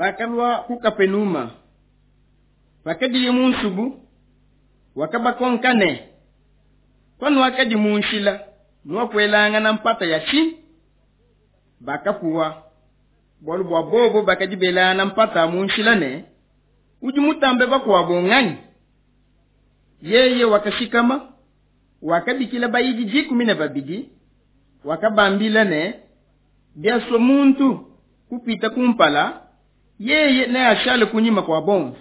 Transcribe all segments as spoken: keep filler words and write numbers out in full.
Bakalua ku Kapenuma. Pakadiye mu nsubu, wakabakonka ne: Panuakadi mu nshila, nuakuelangana mpata ya tshinyi? Bakapuwa, bualu bua bobo bakadi belangana mpata mu nshila ne: Udi mutambe bakuabo nganyi? Yeye wakashikama, wakabikila bayidi dikumi ne babidi, wakabambila ne: Biasua muntu kupita kumpala, yeye neashale kunyima kua bonso,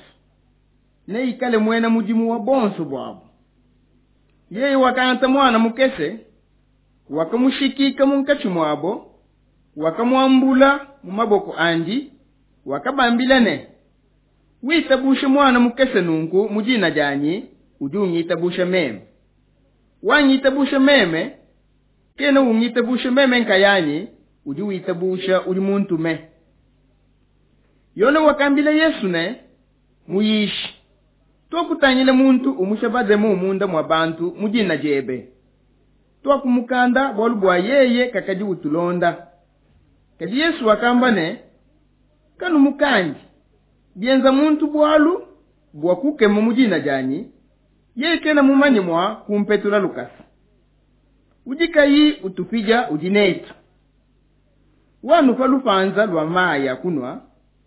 neikale muena mudimu wa bonso buabo. Yeye wakangata muana mukese, wakamushikika munkatshi muabo, wakamuambula mu maboko andi, wakabambila ne: Witabushe muana mukese nunku mu dina dianyi, udi ungitabusha meme. Wangitabusha meme, kena ungitabusha meme nkayanyi, udi witabusha udi muntume. Yone wakambila Yesu ne: Muyishi, tuakutangila muntu umusha bademon munda mua bantu mu dina diebe. Tuakumukanda bualu bua yeye kakadi utulonda. Kadi Yesu wakamba ne: Kanumukandi, bienza muntu bualu bua kukema mu dina dianyi, yeye kena mumanye mua kumpetula lukasa. Udi kayi utupidia udi netu. Wanupa lupanza lua mayi a kunua,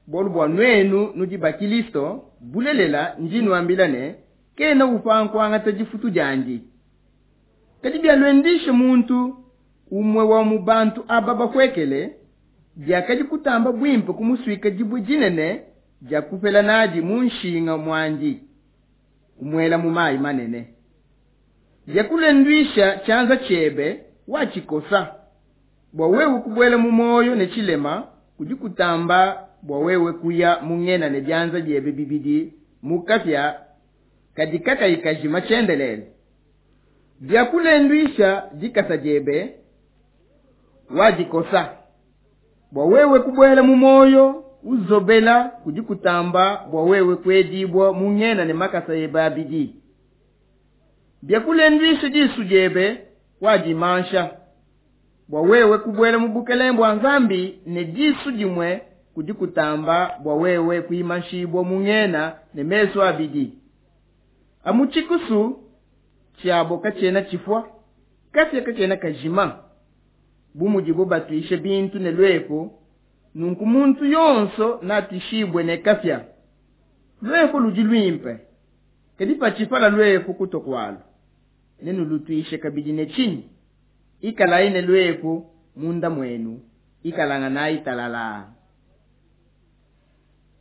bualu bua nuenu nudi ba Kilisto, bulelela ndi nuambila ne, kena upanga kuangata difutu diandi. Kadi bialuendisha muntu umue wa mu bantu aba bapuekele, biakadi kutamba buimpe kumusuika dibue dinene dia kupela nadi mu nshinga muandi, kumuela mu mayi manene. Biakulenduisha tshianza tshiebe, watshikosa, bua wewe kubuela mu muoyo ne tshilema kudi kutamba bua wewe kuya mu ngena ne bianza biebe bibidi mu kapia kadi kakayi kajima tshiendelele. Biakulenduisha dikasa diebe, wadikosa, bua wewe kubuela mu muoyo uzobela kudi kutamba bua wewe kuedibua mu ngena ne makasa ebe abidi. Biakulenduisha disu diebe, wadimansha, bua wewe kubuela mu bukelenge bua Nzambi ne disu dimue kudi kutamba bua wewe kuimanshibua mu ngena ne mesu abidi. Amu tshikusu tshiabo katshiena tshifua, kapia katshiena kajima. Bu mudibo batuishe bintu ne luepu, nunku muntu yonso natuishibue ne kapia. Luepu ludi luimpe, kadi patshipala luepu kutua kualu, nenulutuishe kabidi ne tshinyi? Ikalayi ne luepu munda muenu, ikalanganayi talala.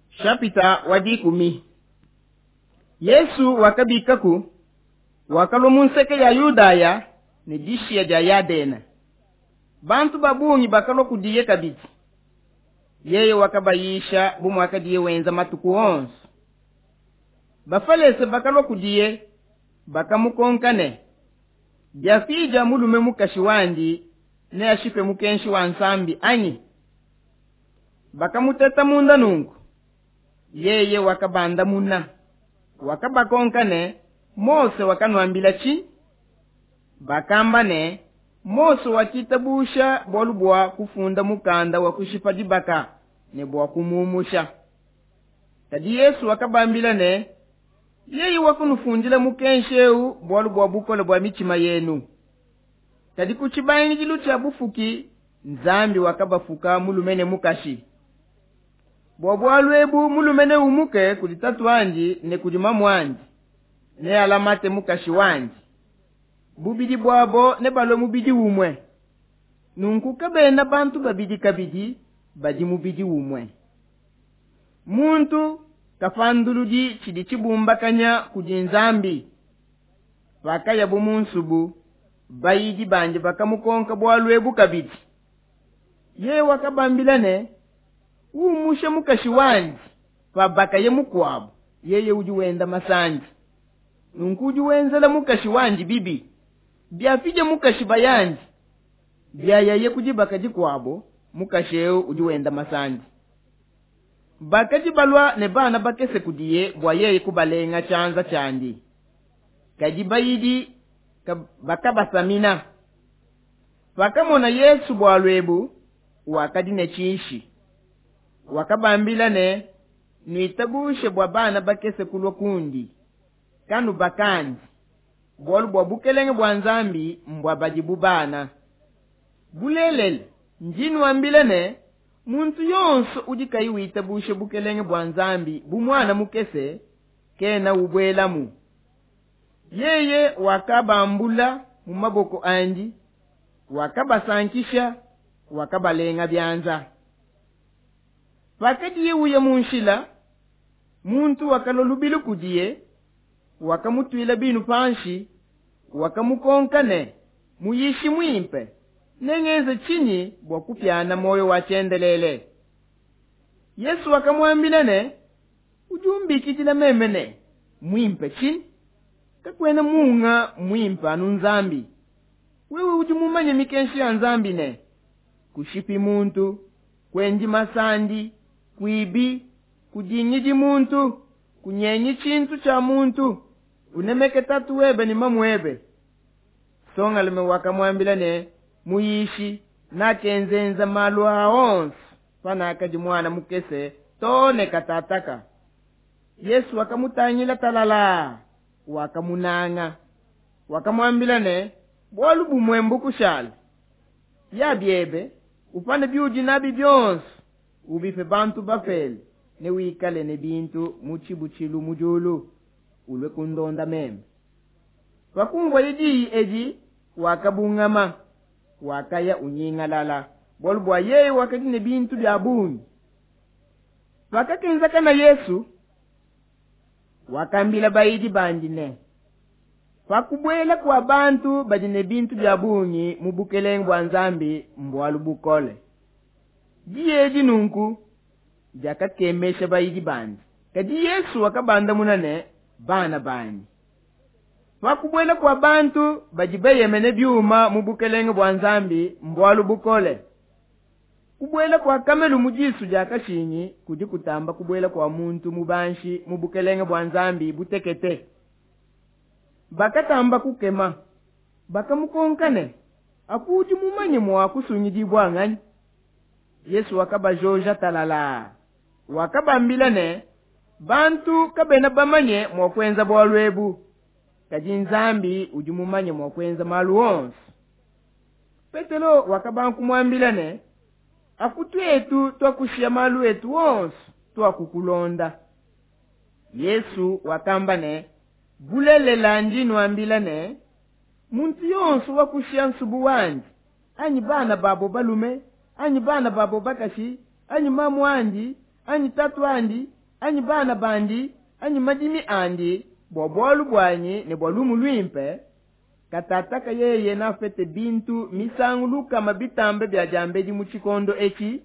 Shapita wa dikumi. Yesu wakabikaku, wakalua mu nseke ya Yudaya ne dishiya dia Yadena. Bantu ba bungi bakalua kudiye kabidi. Yeye wakabayisha bu muakadiye wenza matuku onso. Bafalese bakalua kudiye, bakamukonka ne: Biafija mulume mukashi wandi, neashipe mukenshi wa Nzambi anyi? Bakamuteta munda nunku. Yeye wakabandamuna, wakabakonka ne: Mose wakanuambila tshinyi? Bakamba ne: Mose wakitabusha bualu bua kufunda mukanda wa kushipa dibaka ne bua kumuumusha. Kadi Yesu wakabambila ne: Yeye wakunufundila mukenshi eu bualu bua bukole bua mitshima yenu. Kadi ku tshibangidilu tshia bufuki, Nzambi wakabafuka mulume ne mukashi. Bua bualu ebu mulume neumuke kudi tatu wandi ne kudi mamu wandi, nealamate mukashi wandi. Bubidi buabo nebalue mubidi umue. Nunku kabena bantu babidi kabidi, badi mubidi umue. Muntu kapanduludi tshidi tshibumbakanya kudi Nzambi. Pakayabu mu nsubu, bayidi bandi bakamukonka bualu ebu kabidi. Yeye wakabambila ne: Umushe mukashi wandi pabakaye mukuabo, yeye udi wenda masandi. Nunku udi wenzela mukashi wandi bibi. Biapidia mukashi bayandi, biayaye ku dibaka dikuabo, mukashi eu udi wenda masandi. Bakadi balua ne bana bakese kudiye bua yeye kubalenga tshianza tshiandi. Kadi bayidi bakabasamina. Pakamona Yesu bualu ebu, wakadi ne tshishi. Wakabambila ne, Nuitabushe bua bana bakese kulua kundi, kanubakandi, bualu bua bukelenge bua Nzambi mbua badi bu bana. Bulelela, ndi nuambila ne, muntu yonso udi kayi witabusha bukelenge bua Nzambi bu muana mukese, kena ubuelamu. Yeye wakabambula mu maboko andi, wakabasankisha, wakabalenga bianza. Pakadiye uya mu nshila, muntu wakalua lubilu kudiye, wakamutuila binu panshi, wakamukonka ne, Muyishi muimpe, nengenze tshinyi bua kupiana muoyo wa tshiendelele? Yesu wakamuambila ne, Udi umbikidila meme ne, muimpe tshinyi? Kakuena munga muimpe anu Nzambi. Wewe udi mumanye mikenji ya Nzambi ne, kushipi muntu, kuendi masandi, kuibi, kudingidi muntu, kunyengi tshintu tshia muntu, unemeke tatu webe ne mamu webe. Nsongalume wakamuambila ne, Muyishi, nakenzenza malu aa onso panakadi muana mukese too ne katataka. Yesu wakamutangila talalaa, wakamunanga, wakamuambila ne, bualu bumue mbukushale, ya biebe, upane biudi nabi bionso, ubipe bantu bapele, ne wikale ne bintu mu tshibutshilu mu diulu, ulue kundonda meme. Pakumvuaye diyi edi, wakabungama, wakaya unyingalala, bualu bua yeye wakadi ne bintu bia bungi. Pakakenzakana Yesu, wakambila bayidi bandi ne, pakubuela kua bantu badi ne bintu bia bungi mu bukelenge bua Nzambi mbualu bukole. Diyi edi nunku diakakemesha bayidi bandi. Kadi Yesu wakabandamuna ne, bana banyi, pakubuela kua bantu badi beyemene biuma mu bukelenge bua Nzambi mbualu bukole. Kubuela kua kamelu mu disu dia kashingi kudi kutamba kubuela kua muntu mubanshi mu bukelenge bua Nzambi butekete. Bakatamba kukema, bakamukonka ne, apu udi mumanye mua kusungidibua nganyi? Yesu wakabajoja talalaa, wakabambila ne, bantu kabena bamanye mua kuenza bualu ebu, kadi Nzambi udi mumanye mua kuenza malu onso. Petelo wakabanga kumuambila ne, apu tuetu tuakushiya malu etu onso, tuakukulonda. Yesu wakamba ne, bulelela ndi nuambila ne, muntu yonso wakushiya nsubu wandi, anyi bana babo balume, anyi bana babo bakashi, anyi mamu andi, anyi tatu andi, anyi bana bandi, anyi madimi andi, bua bualu buanyi ne bua lumu luimpe, katataka yeye nafete bintu misangu lukama bitambe bia diambedi mu tshikondo etshi,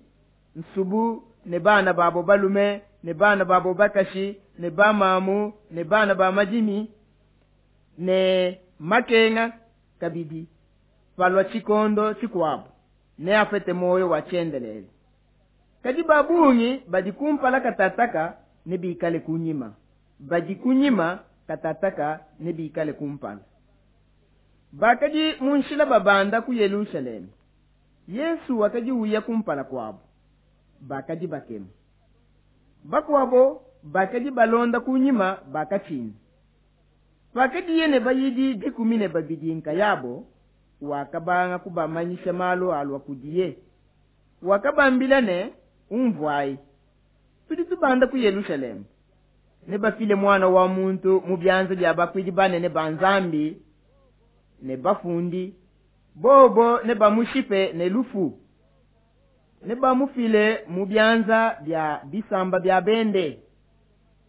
nsubu ne bana babo balume ne bana babo bakashi ne bamamu ne bana ba madimi ne makenga kabidi, palua tshikondo tshikuabo neafete muoyo wa tshiendelele. Kadi ba bungi badi kumpala katataka nebikale kunyima, badi kunyima katataka nebikale kumpala. Bakadi mu nshila babanda ku Yelushalema, Yesu wakadi uya kumpala kuabo, bakadi bakema. Bakuabo bakadi balonda kunyima bakatshina. Pakadiye ne bayidi dikumi ne babidi nkayabo, wakabanga kubamanyisha malu alua kudiye. Wakabambila ne, umvuayi, tudi tubanda ku Yelushalema, nebafile Muana wa muntu mu bianza bia bakuidi banene ba Nzambi ne bafundi, bobo nebamushipe ne lufu, nebamufile mu bianza bia bisamba bia bende,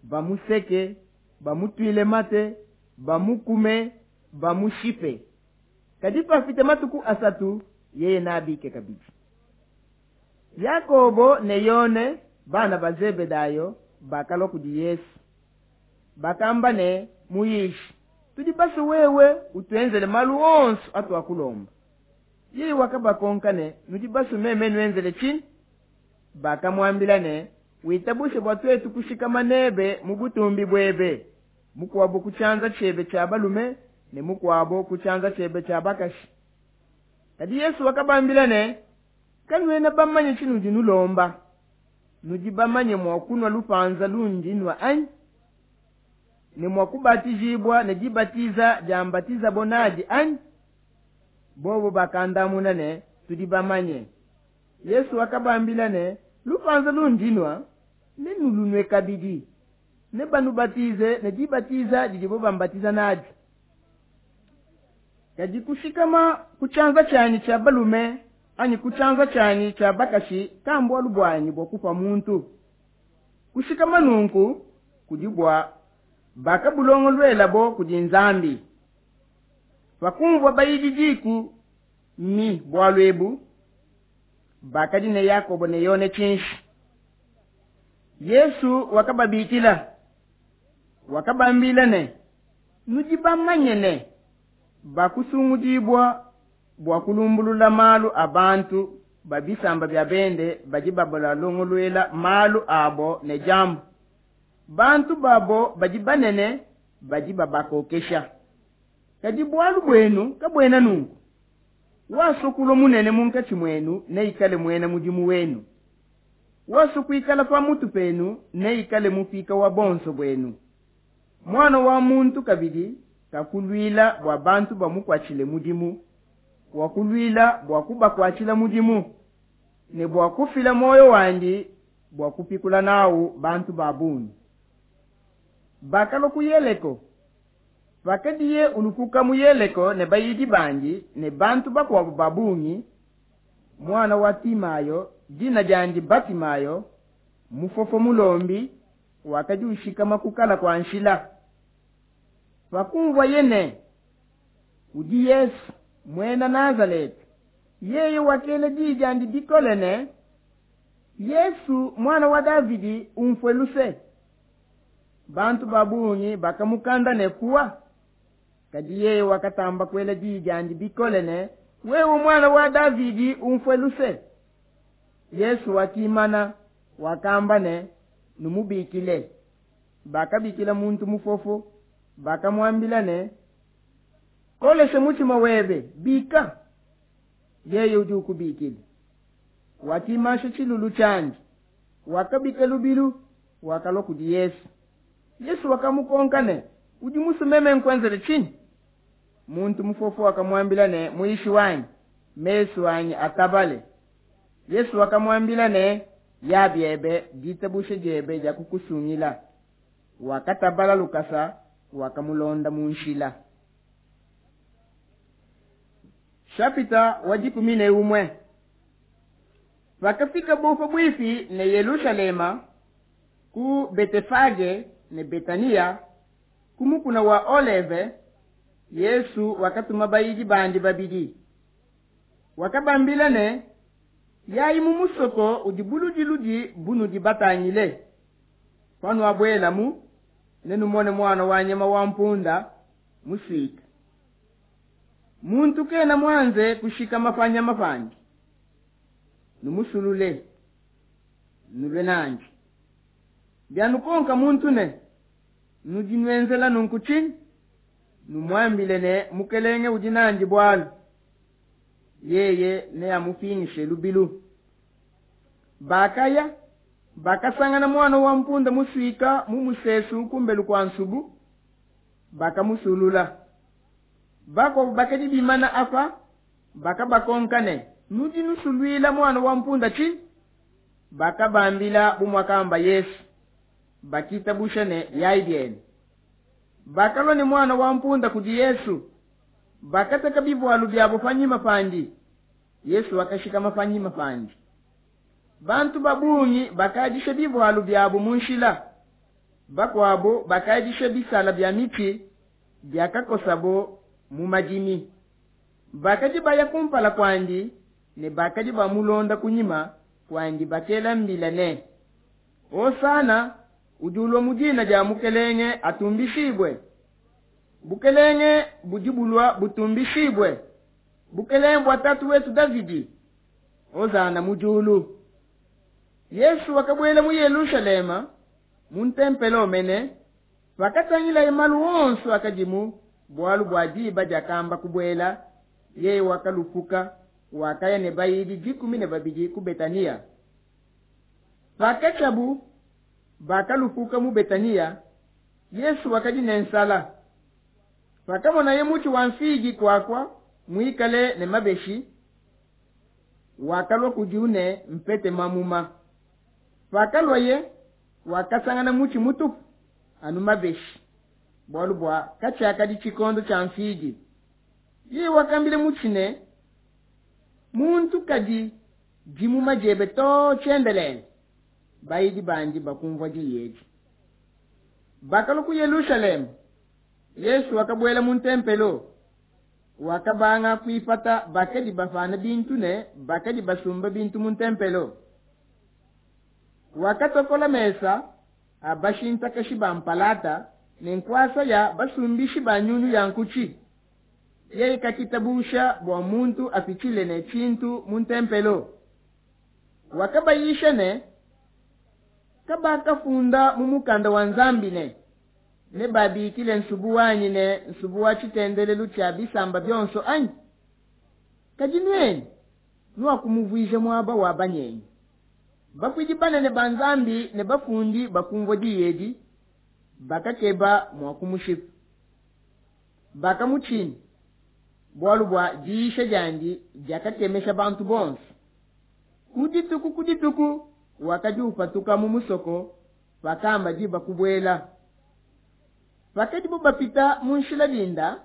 bamuseke, bamutuile mate, bamukume, bamushipe. Kadi pafite matuku asatu, yeye nabike kabidi. Yakobo ne Yone, bana ba Zebedayo, bakalua kudi Yesu. Bakamba ne, Muyishi, tudi basue wewe utuenzele malu onso atuakulomba. Yeye wakabakonka ne, nudi basue meme nuenzele tshinyi? Bakamuambila ne, witabushe bua tuetu kushikama nebe mu butumbi buebe, mukuabo ku tshianza tshiebe tshia balume ne mukuabo ku tshianza tshiebe tshia bakashi. Kadi Yesu wakabambila ne, kanuena bamanye tshinudi nulomba. Nudi bamanye mua kunua lupanza lundi nua, anyi? Ne mua kubatijibua ne dibatiza diambatizabo nadi, anyi? Bobo bakandamuna ne, Tudi bamanye. Yesu wakabambila ne, Lupanza lundi nua, nenulunue kabidi, nebanubatize ne dibatiza didibo bambatiza nadi. Kadi kushikama ku tshianza tshianyi tshia balume anyi ku tshianza tshianyi tshia bakashi kambualu buanyi bua kupa muntu. Kushikama nunku kudi bua bakabulongoluelabo kudi Nzambi. Pakumvua bayidi dikumi bualu ebu, bakadi ne Yakobo ne Yone tshinshi. Yesu wakababikila, wakabambila ne, Nudi bamanye ne, bakusungudibua bua kulumbulula malu a bantu ba bisamba bia bende badi babalongoluela malu abo ne diambu. Bantu babo badi banene badi babakokesha. Kadi bualu buenu kabuena nunku. Wasua kulua munene munkatshi muenu neikale muena mudimu wenu. Wasua kuikala pa mutu penu neikale mupika wa bonso buenu. Muana wa muntu kabidi kakuluila bua bantu bamukuatshile mudimu, wakuluila bua kubakuatshila mudimu, ne bua kufila muoyo wandi bua kupikula nawu bantu ba bungi. Bakalua ku Yeleko. Pakadiye ulupuka mu Yeleko ne bayidi bandi ne bantu bakuabo ba bungi, muana wa Timayo, dina diandi Batimayo, mufofo mulombi, wakadi ushikama kukala kua nshila. Pakumvuaye ne, udi Yesu, muena Nazaleta, yeye wakela di diandi bikole ne, Yesu, muana wa Davidi, unfue luse. Bantu ba bungi bakamukanda ne puwa, kadi yeye wakatamba kuela di diandi bikole ne, Wewe muana wa Davidi, unfue luse. Yesu wakimana, wakamba ne, Numubikile. Bakabikila muntu mufofo, bakamuambila ne, Kolesha mutshima webe, bika, yeye udi ukubikila. Wakimasha tshilulu tshiandi, wakabika lubilu, wakalua kudi Yesu. Yesu wakamukonka ne, Udi musue meme nkuenzele tshinyi? Muntu mufofo wakamuambila ne, Muyishi wanyi, mesu anyi atabale. Yesu wakamuambila ne, Ya biebe, ditabusha diebe diakukusungila. Wakatabala lukasa, wakamulonda mu nshila. Shapita wa dikumi ne umue. Pakafikabo pabuipi ne Yelushalema, ku Betefage ne Betania, ku mukuna wa Oleve, Yesu wakatuma bayidi bandi babidi. Wakabambila ne, Yayi mu musoko udi buludiludi bunudi batangile. Panuabuelamu, nenumone muana wa nyama wa mpunda musuika. Muntu kena muanze kushikama pa nyama pandi. Numusulule, nulue nandi. Bianukonka muntu ne, Nudi nuenzela nunku tshinyi? Numuambile ne, Mukelenge udi nandi bualu, yeye neamupingishe lubilu. Bakaya, bakasangana muana wa mpunda musuika mu musesu ku mbelu kua nsubu, bakamusulula. Bakuabo bakadi bimana apa, bakabakonka ne, Nudi nusuluila muana wa mpunda tshinyi? Bakabambila bu muakamba Yesu. Bakitabusha ne, Yai bienu. Bakalua ne muana wa mpunda kudi Yesu, bakateka bivualu biabo panyima pandi. Yesu wakashikama panyima pandi. Bantu ba bungi bakadisha bivualu biabo mu nshila, bakuabo bakadisha bisala bia mitshi biakakosabo mu madimi. Bakadi baya kumpala kuandi ne bakadi bamulonda kunyima kuandi bakela mbila ne, Hosana, udi ulua mu dina dia Mukelenge atumbishibue. Bukelenge budi bulua butumbishibue, bukelenge bua tatu wetu Davidi, hosana mu diulu. Yesu wakabuela mu Yelushalema, mu ntempelo mene, pakatangilaye malu onso akadimu, bualu bua diba diakamba kubuela, yeye wakalupuka, wakaya ne bayidi dikumi ne babidi ku Betania. Pakatshiabu bakalupuka mu Betaniya, Yesu wakadi ne nsala. Pakamonaye mutshi wa mfigi kuakua muikale ne mabeshi, wakalua kudiwu ne mpete mamuma. Pakaluaye, wakasangana mutshi mutupu anu mabeshi, bualu bua katshiakadi tshikondo tshia mfigi. Yeye wakambila mutshi ne, muntu kadi dimuma diebe too tshiendelele. Bayidi bandi bakumvua diyi edi. Bakalua ku Yelushalema. Yesu wakabuela mu ntempelo, wakabanga kuipata bakadi bapana bintu ne bakadi basumba bintu mu ntempelo. Wakatokola mesa a bashintakashi ba mpalata ne nkuasa ya basumbishi ba nyunyu ya nkutshi. Yeye kakitabusha bua muntu apitshile ne tshintu mu ntempelo. Wakabayisha ne, kabakafunda mu mukanda wa Nzambi ne, nebabikile nsubu wanyi ne nsubu wa tshitendelelu tshia bisamba bionso anyi? Kadi nuenu nuakumuvuija muaba wa banyengi. Bakuidi banene ba Nzambi ne bafundi bakumvua diyi edi, bakakeba mua kumushipa. Bakamutshina, bualu bua diyisha diandi diakakemesha bantu bonso. Ku dituku ku dituku wakadi upatuka mu musoko pakamba diba kubuela. Pakadibo bapita mu nshila dinda,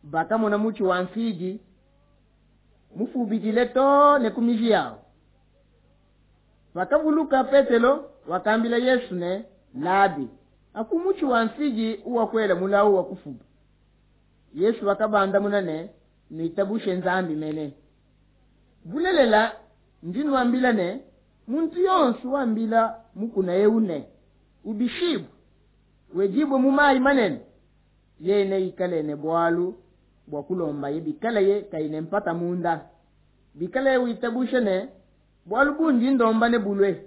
bakamona mutshi wa mfigi mufubidile too ne ku miji yawu. Pakavuluka Petelo, wakambila Yesu ne, Labi, aku mutshi wa mfigi uwakuela mulawu wa kufuba. Yesu wakabandamuna ne, nuitabushe Nzambi mene. Bulelela ndi nuambila ne, muntu yonso wambila mukuna ewu ne, ubishibue, wedibue mu mayi manene, yeye neikale ne bualu bua kulombaye bikalaye kayi ne mpata munda, bikalaye witabusha ne, bualu bundi ndomba ne bulue.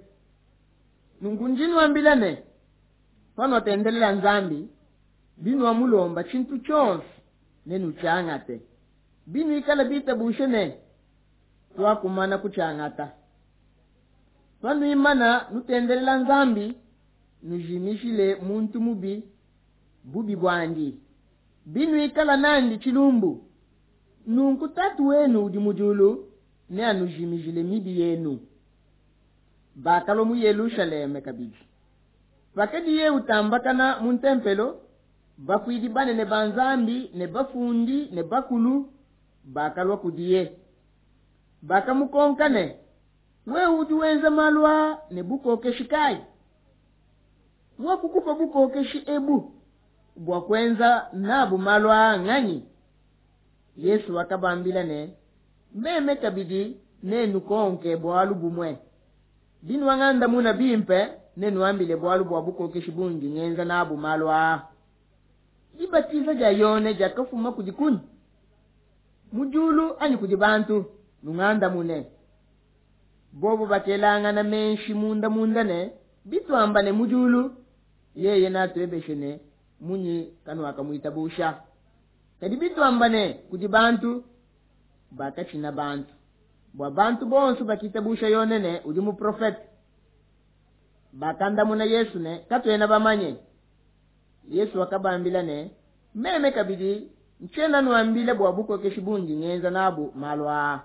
Nunku ndi nuambila ne, panuatendelela Nzambi, binuamulomba tshintu tshionso nenutshiangate, binuikala bitabushe ne, tuakumana kutshiangata. Panuimana nutendelela Nzambi, nujimishile muntu mubi bubi buandi, binuikala nandi tshilumbu, nunku Tatu wenu udi mu diulu neanujimijile mibi yenu. Bakalua mu Yelushalema kabidi. Pakadiye utambakana mu ntempelo, bakuidi banene ba Nzambi ne bafundi ne bakulu bakalua kudiye. Bakamukonka ne, wewe udi wenza malu aa ne bukokeshi kayi? Wakukupa bukokeshi ebu bua kuenza nabu malu aa nganyi? Yesu wakabambila ne, meme kabidi nenukonke bualu bumue. Binuangandamuna bimpe, nenuambile bualu bua bukokeshi bundi ngenza nabu malu aa. Dibatiza dia Yone diakafuma kudi kunyi? Mu diulu anyi kudi bantu? Nungandamune. Bobo bakelangana menshi munda munda ne, bituamba ne mu diulu, yeye natuebeshe ne, munyi kanuakamuitabusha? Kadi bituamba ne kudi bantu, bakatshina bantu, bua bantu bonso bakitabusha Yone ne udi muprofete. Bakandamuna Yesu ne, katuena bamanye. Yesu wakabambila ne, meme kabidi ntshiena nuambila bua bukokeshi bundi ngenza nabu malu aa.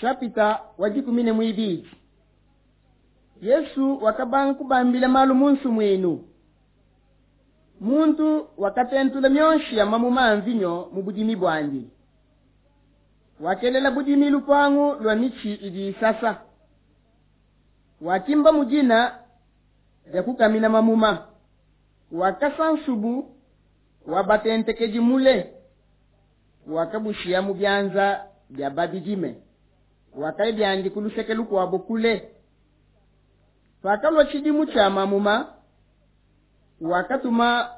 Shapita wa dikumi ne muibidi. Yesu wakabanga kubambila malu mu nsumuinu. Muntu wakatentula mionshi ya mamuma a mvinyo mu budimi buandi. Wakelela budimi lupangu lua mitshi idi isasa. Wakimba mudina dia kukamina mamuma. Wakasa nsubu wa batentekedi mule. Wakabushia mu bianza bia babidime. Wakaya biandi ku luseke lukuabo kule. Pakalua tshidimu tshia mamuma, wakatuma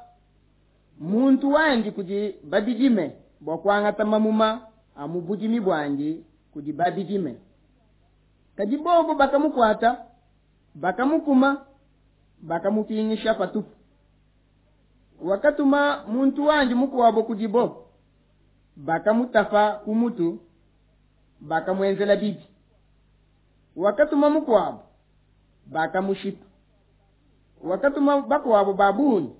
muntu wandi kudi babidime bua kuangata mamuma a mu budimi buandi kudi babidime. Kadi bobo bakamukuata, bakamukuma, bakamupingisha patupu. Wakatuma muntu wandi mukuabo kudibo, bakamutapa ku mutu, bakamuenzela bibi. Wakatuma mukuabo, bakamushipa. Wakatuma bakuabo ba bungi,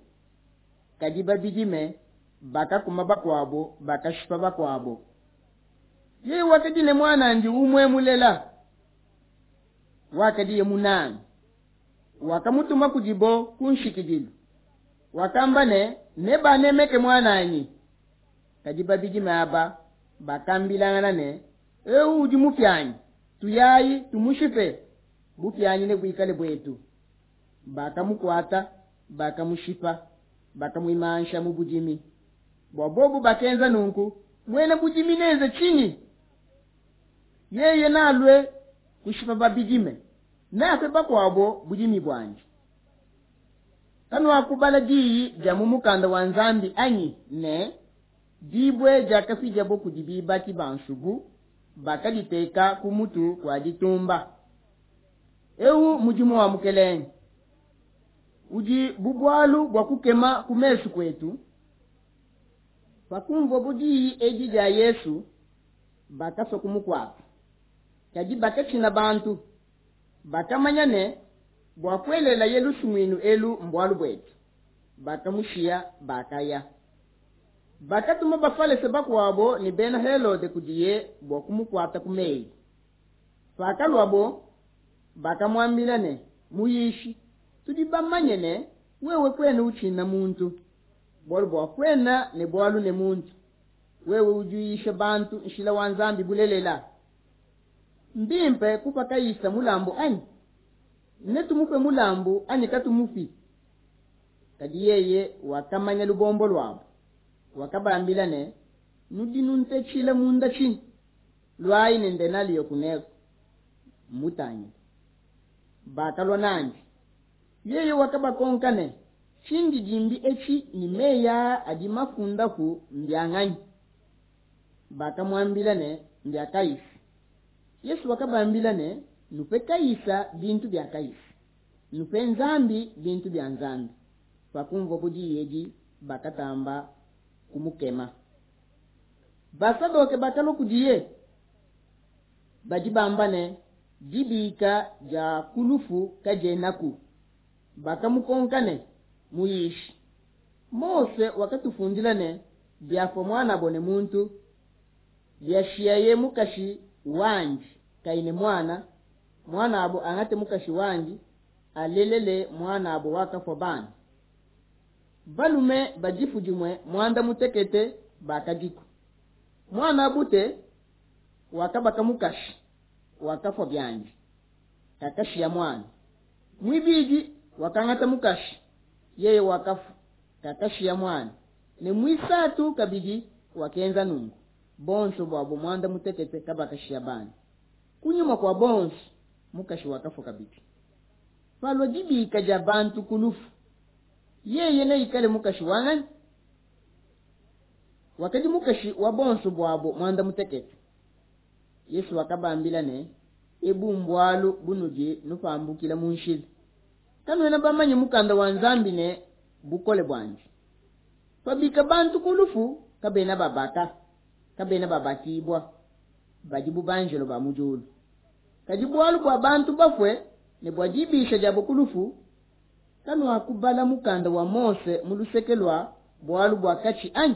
kadi babidime bakakuma bakuabo, bakashipa bakuabo. Yeye wakadi ne muan'andi umue mulela, wakadiye munange, wakamutuma kudibo kunshikidilu. Wakamba ne, Nebanemeke muan'anyi. Kadi babidime aba bakambilangana ne, Eu udi mupianyi, tuyayi, tumushipe, bupianyi nebuikale buetu. Bakamukuata, bakamushipa, bakamuimansha mu budimi. Bua bobo bakenza nunku, muena budimi nenze tshinyi? Yeye nalue kushipa babidime, neape bakuabo budimi buandi. Kanuakubala diyi dia mu Mukanda wa Nzambi, anyi, ne, Dibue diakapidiabo kudi bibaki ba nsubu bakaditeka ku mutu kua ditumba. Eu mudimu wa Mukelenge, udi bu bualu bua kukema ku mesu kuetu. Pakunvuabo diyi edi dia Yesu, bakasua kumukuata, kadi bakatshina bantu, bakamanya ne, Buakuelelaye lusumuinu elu mbualu buetu. Bakamushiya, bakaya. Bakatuma Bafalese bakuabo ne Bena Helode kudiye bua kumukuata ku meyi. Pakaluabo, bakamuambila ne, Muyishi, tudi bamanye ne, Wewe kuena utshina muntu, bualu bua kuena ne bualu ne muntu, wewe udi uyisha bantu nshila wa Nzambi bulelela. Mbimpe kupa Kaisa mulambu, anyi? Netumupe mulambu, anyi katumupi? Kadi yeye wakamanya lubombo luabo, wakabambila ne, Nudi nuntetshila munda tshinyi? Luayi ne ndenaliyo kuneku, mmutangile. Bakalua nandi. Yeye wakabakonka ne, Tshindidimbi etshi ne meyi aa adi mafundapu mbia nganyi? Bakamuambila ne, Mbia Kaisa. Yesu wakabambila ne, Nupe Kaisa bintu bia Kaisa, nupe Nzambi bintu bia Nzambi. Pakunvuabo diyi edi, bakatamba kumukema. Basadoke bakalua kudiye, badi bamba ne, Dibika dia ku lufu kadienaku, bakamukonka ne, Muyishi, Mose wakatufundila ne, Biafua muan'abo ne muntu, biashiaye mukashi wandi kayi ne muana, muan'abo angate mukashi wandi, alelele muan'abo wakafua bana. Balume ba difu dimue muanda mutekete bakadiku. Muan'a bute wakabaka mukashi, wakafua biandi, kakashiya muana. Muibidi wakangata mukashi, yeye wakafua, kakashiya muana, ne muisatu kabidi wakenza nunku. Buonso buabo muanda mutekete kabakashiya bana. Kunyima kua bonso mukashi wakafua kabidi. Palua dibika dia bantu ku lufu, yeye neikale mukashi wa nganyi? Wakadi mukashi wa buonso buabo muanda mutekete. Yesu wakabambila ne, Ebu mbualu bunudi nupambukila mu nshila. Kanuena bamanye Mukanda wa Nzambi ne bukole buandi. Pabika bantu ku lufu, kabena babaka, kabena babakibua, badi bu banjelo ba mu diulu. Kadi bualu bua bantu bafue ne bua dibisha diabo ku lufu, kanuakubala mukanda wa Mose mu luseke lua bualu bua katshi, anyi?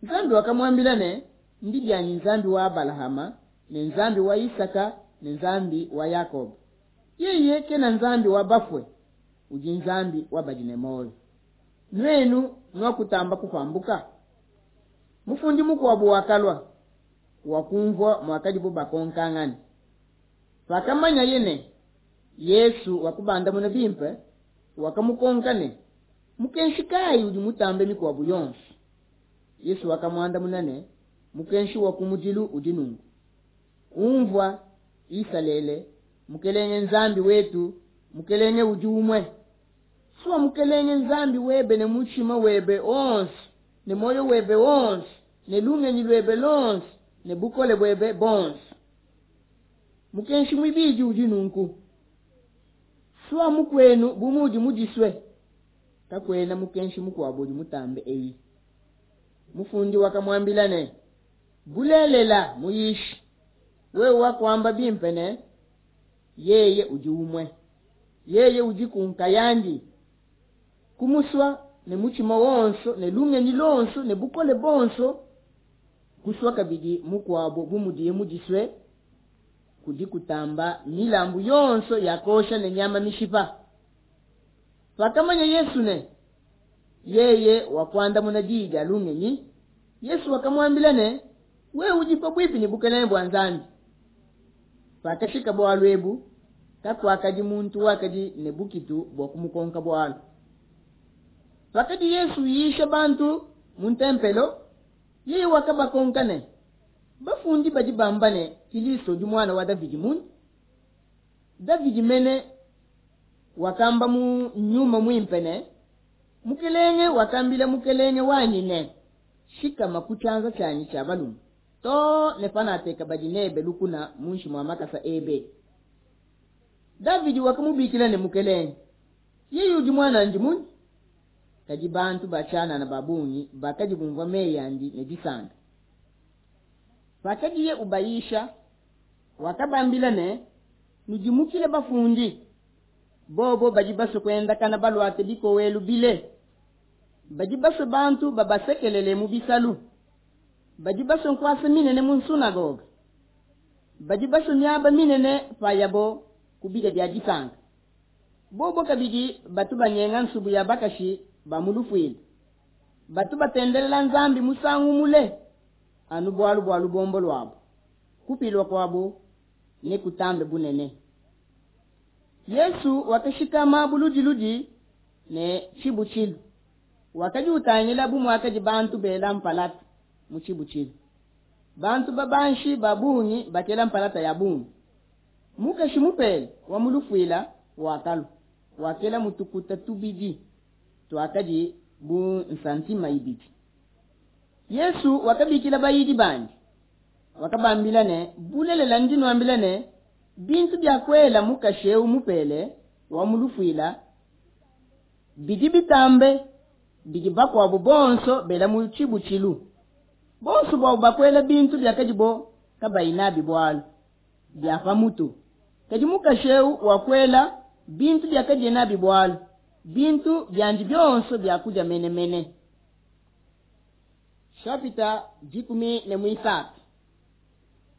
Nzambi wakamuambila ne, Ndi bianyi Nzambi wa Abalahama ne Nzambi wa Isaka ne Nzambi wa Yakoba. Yeye kena Nzambi wa bafue, udi Nzambi wa badi ne muoyo. Nuenu nuakutamba kupambuka. Mufundi mukuabo wakalua, wakunvua muakadibo bakonkangana. Pakamanyaye ne, Yesu wakubandamuna bimpe, wakamukonka ne, Mukenshi kayi udi mutambe mikuabo yonso? Yesu wakamuandamuna ne, Mukenshi wa kumudilu udi nunku, Unvua, Isalele, Mukelenge Nzambi wetu, Mukelenge udi umue. Sua Mukelenge Nzambi webe ne mutshima webe wonso ne muoyo webe wonso ne lungenyi luebe luonso ne bukole buebe buonso. Mukenshi muibidi udi nunku, Sua mukuenu bu mudi mudisue. Kakuena mukenshi mukuabo udi mutambe eyi. Mufundi wakamuambila ne, Bulelela, Muyishi, wewe wakuamba bimpe ne, Yeye udi umue. Yeye udiku nkayandi. Kumusua ne mutshima wonso ne lungenyi luonso ne bukole buonso, kusua kabidi mukuabo bu mudiye mudisue, kudi kutamba milambu yonso ya kuosha ne nyama mishipa. Pakamanya Yesu ne, Yeye wakuandamuna diyi dia lungenyi, Yesu wakamuambila ne, Wewe udi pabuipi ne bukelenge bua Nzambi. Pakashika bualu ebu, kakuakadi muntu wakadi ne bukitu bua kumukonka bualu. Pakadi Yesu uyisha bantu mu ntempelo, yeye wakabakonka ne, Bafundi badi bamba ne, Kilisto udi muana wa Davidi munyi? Davidi mene wakamba mu Nyuma Muimpe ne, Mukelenge wakambila Mukelenge wanyi ne, Shikama ku tshianza tshianyi tshia balume, too ne panateka badi nebe lukuna munshi mua makasa ebe. Davidi wakamubikila ne Mukelenge. Yeye udi muanandi munyi? Kadi bantu ba tshianana ba bungi bakadi bumvua meyi andi ne disanka. Pakadiye ubayisha, wakabambila ne, Nudimukile bafundi. Bobo badi basue kuendakana baluate bikowelu bile. Badi basue bantu babasekelele mu bisalu. Badi basue nkuasa minene mu nsunagoga. Badi basue miaba minene payabo ku bidia bia disanka. Bobo kabidi batu banyenga nsubu ya bakashi ba mu lufuila. Batu batendelela Nzambi musangu mule anu bualu bua lubombo luabo. Kupilua kuabo nekutambe bunene. Yesu wakashikama buludiludi ne tshibutshilu, wakadi utangila bu muakadi bantu bela mpalata mu tshibutshilu. Bantu babanshi ba bungi bakela mpalata ya bungi. Mukashi mupele wa mu lufuila wakalua, wakela mutukuta tubidi tuakadi bu nsantima ibidi. Yesu wakabikila bayidi bandi, wakabambila ne, Bulelela ndi nuambila ne, bintu biakuela mukashi eu mupele wa mu lufuila bidi bitambe bidi bakuabo bonso bela mu tshibutshilu. Bonso buabo bakuela bintu biakadibo kabayi nabi bualu bia pa mutu, kadi mukashi eu wakuela bintu biakadiye nabi bualu, bintu biandi bionso bia kudia menemene. Chapitre dikumi ne muisatu.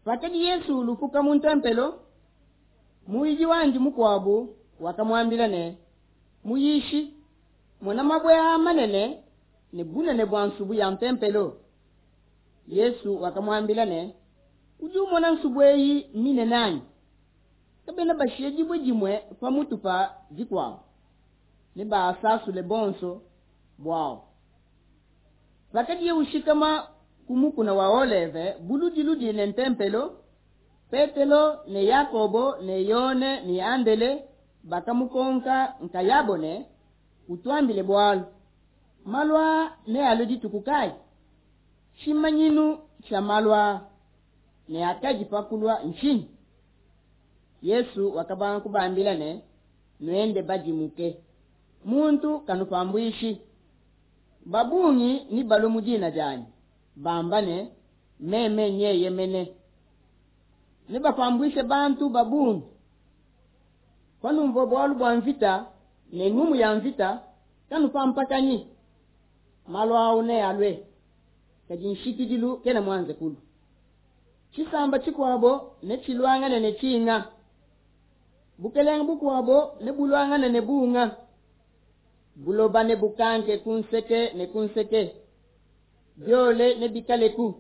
Pakadi Yesu ulupuka mu ntempelo, muyidi wandi mukuabu wakamuambila ne, Muyishi, mona mabue aa manene ne bunene bua nsubu ya ntempelo. Yesu wakamuambila ne, Udi umona nsubu eyi minene anyi? Kabena bashiye dibue dimue pa mutu pa dikuabo, nebasasule bonso buawu. Pakadiye ushikama ku mukuna wa Oleve buludiludi ne ntempelo, Petelo ne Yakobo ne Yone ne Andele bakamukonka nkayabo ne, Utuambile bualu, malu aa nealue dituku kayi? Tshimanyinu tshia malu aa ne akadi pa kulua ntshinyi? Yesu wakabanga kubambila ne, Nuende badimuke, muntu kanupambuishi. Ba bungi nebalue mu dina dianyi, bamba ne, Meme nyeye mene. Nebapambuishe bantu ba bungi. Panumvua bualu bua mvita ne ngumu ya mvita, kanupampakanyi. Malu au nealue, kadi nshikidilu kena muanze kulua. Tshisamba tshikuabo netshiluangane ne tshinga, bukelenge bukuabo nebuluangane ne bunga. Buloba nebukanke ku nseke ne ku nseke, biole nebikaleku.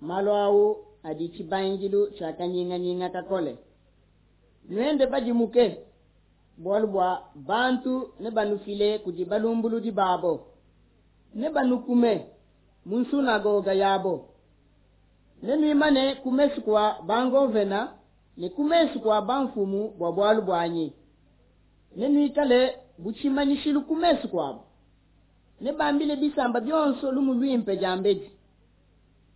Malu au adi tshibangidilu tshia kanyinganyinga kakole. Nuende badimuke, bualu bua bantu nebanufile kudi balumbuludi babo, nebanukume mu nsunagoga yabo. Nenuimane ku mesu kua bangovena ne ku mesu kua bamfumu bua bualu buanyi. Nenuikale bu tshimanyishilu ku mesu kuabo. Nebambile bisamba bionso lumu luimpe diambedi.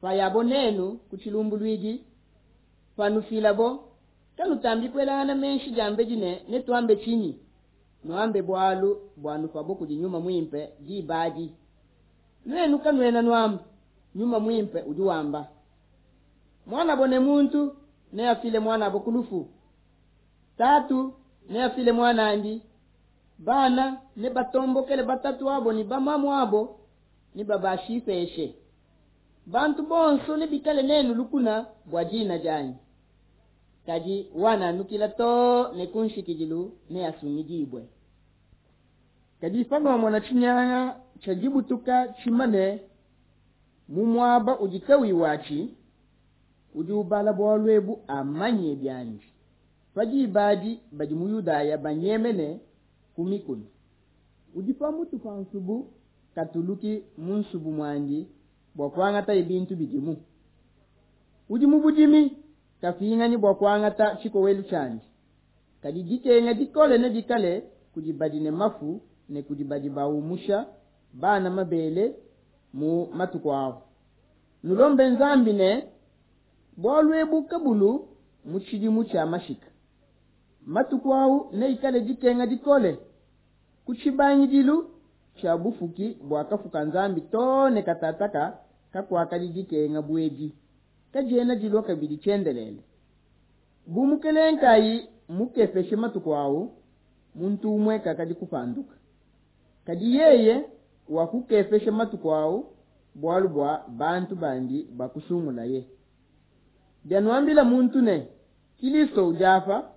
Payabo nenu ku tshilumbuluidi, panufilabo, kanutambi kuelangana meshi diambedi ne, Netuambe tshinyi? Nuambe bualu buanupabo kudi Nyuma Muimpe diba adi. Nuenu kanuena nuamba, Nyuma Muimpe udi wamba. Muanabo ne muntu neafile muanabo ku lufu, Tatu neafile muanandi, bana nebatombokele batatu abo ne bamamu abo, nebabashipeshe. Bantu bonso nebikale nenu lukuna bua dina dianyi, kadi wananukila too ne ku nshikidilu neasungidibue. Kadi panuamona tshinyanga tshia dibutuka tshimane mu muaba udi kauyi watshi, udi ubala bualu ebu amanye biandi, pa diba adi badi mu Yudaya banyemene ku mikuna. Udi pa mutu pa nsubu katuluki mu nsubu muandi bua kuangataye bintu bidimu. Udi mu budimi kapinganyi bua kuangata tshikowelu tshiandi. Kadi dikenga dikole nedikale kudi badi ne mafu ne kudi badi baumusha bana mabele mu matuku au! Nulombe Nzambi ne, Bualu ebu kabulu mu tshidimu tshia mashika. Matuku au neikale dikenga dikole, ku tshibangidilu tshia bufuki buakafuka Nzambi to ne katataka kakuakadi dikenga bu edi, kadiena dilua kabidi tshiendelele. Bu Mukelenge kayi mukepeshe matuku au, muntu umue kakadi kupanduka. Kadi yeye wakukepesha matuku au bualu bua bantu bandi bakusungulaye. Bianuambila muntu ne, Kilisto udi apa,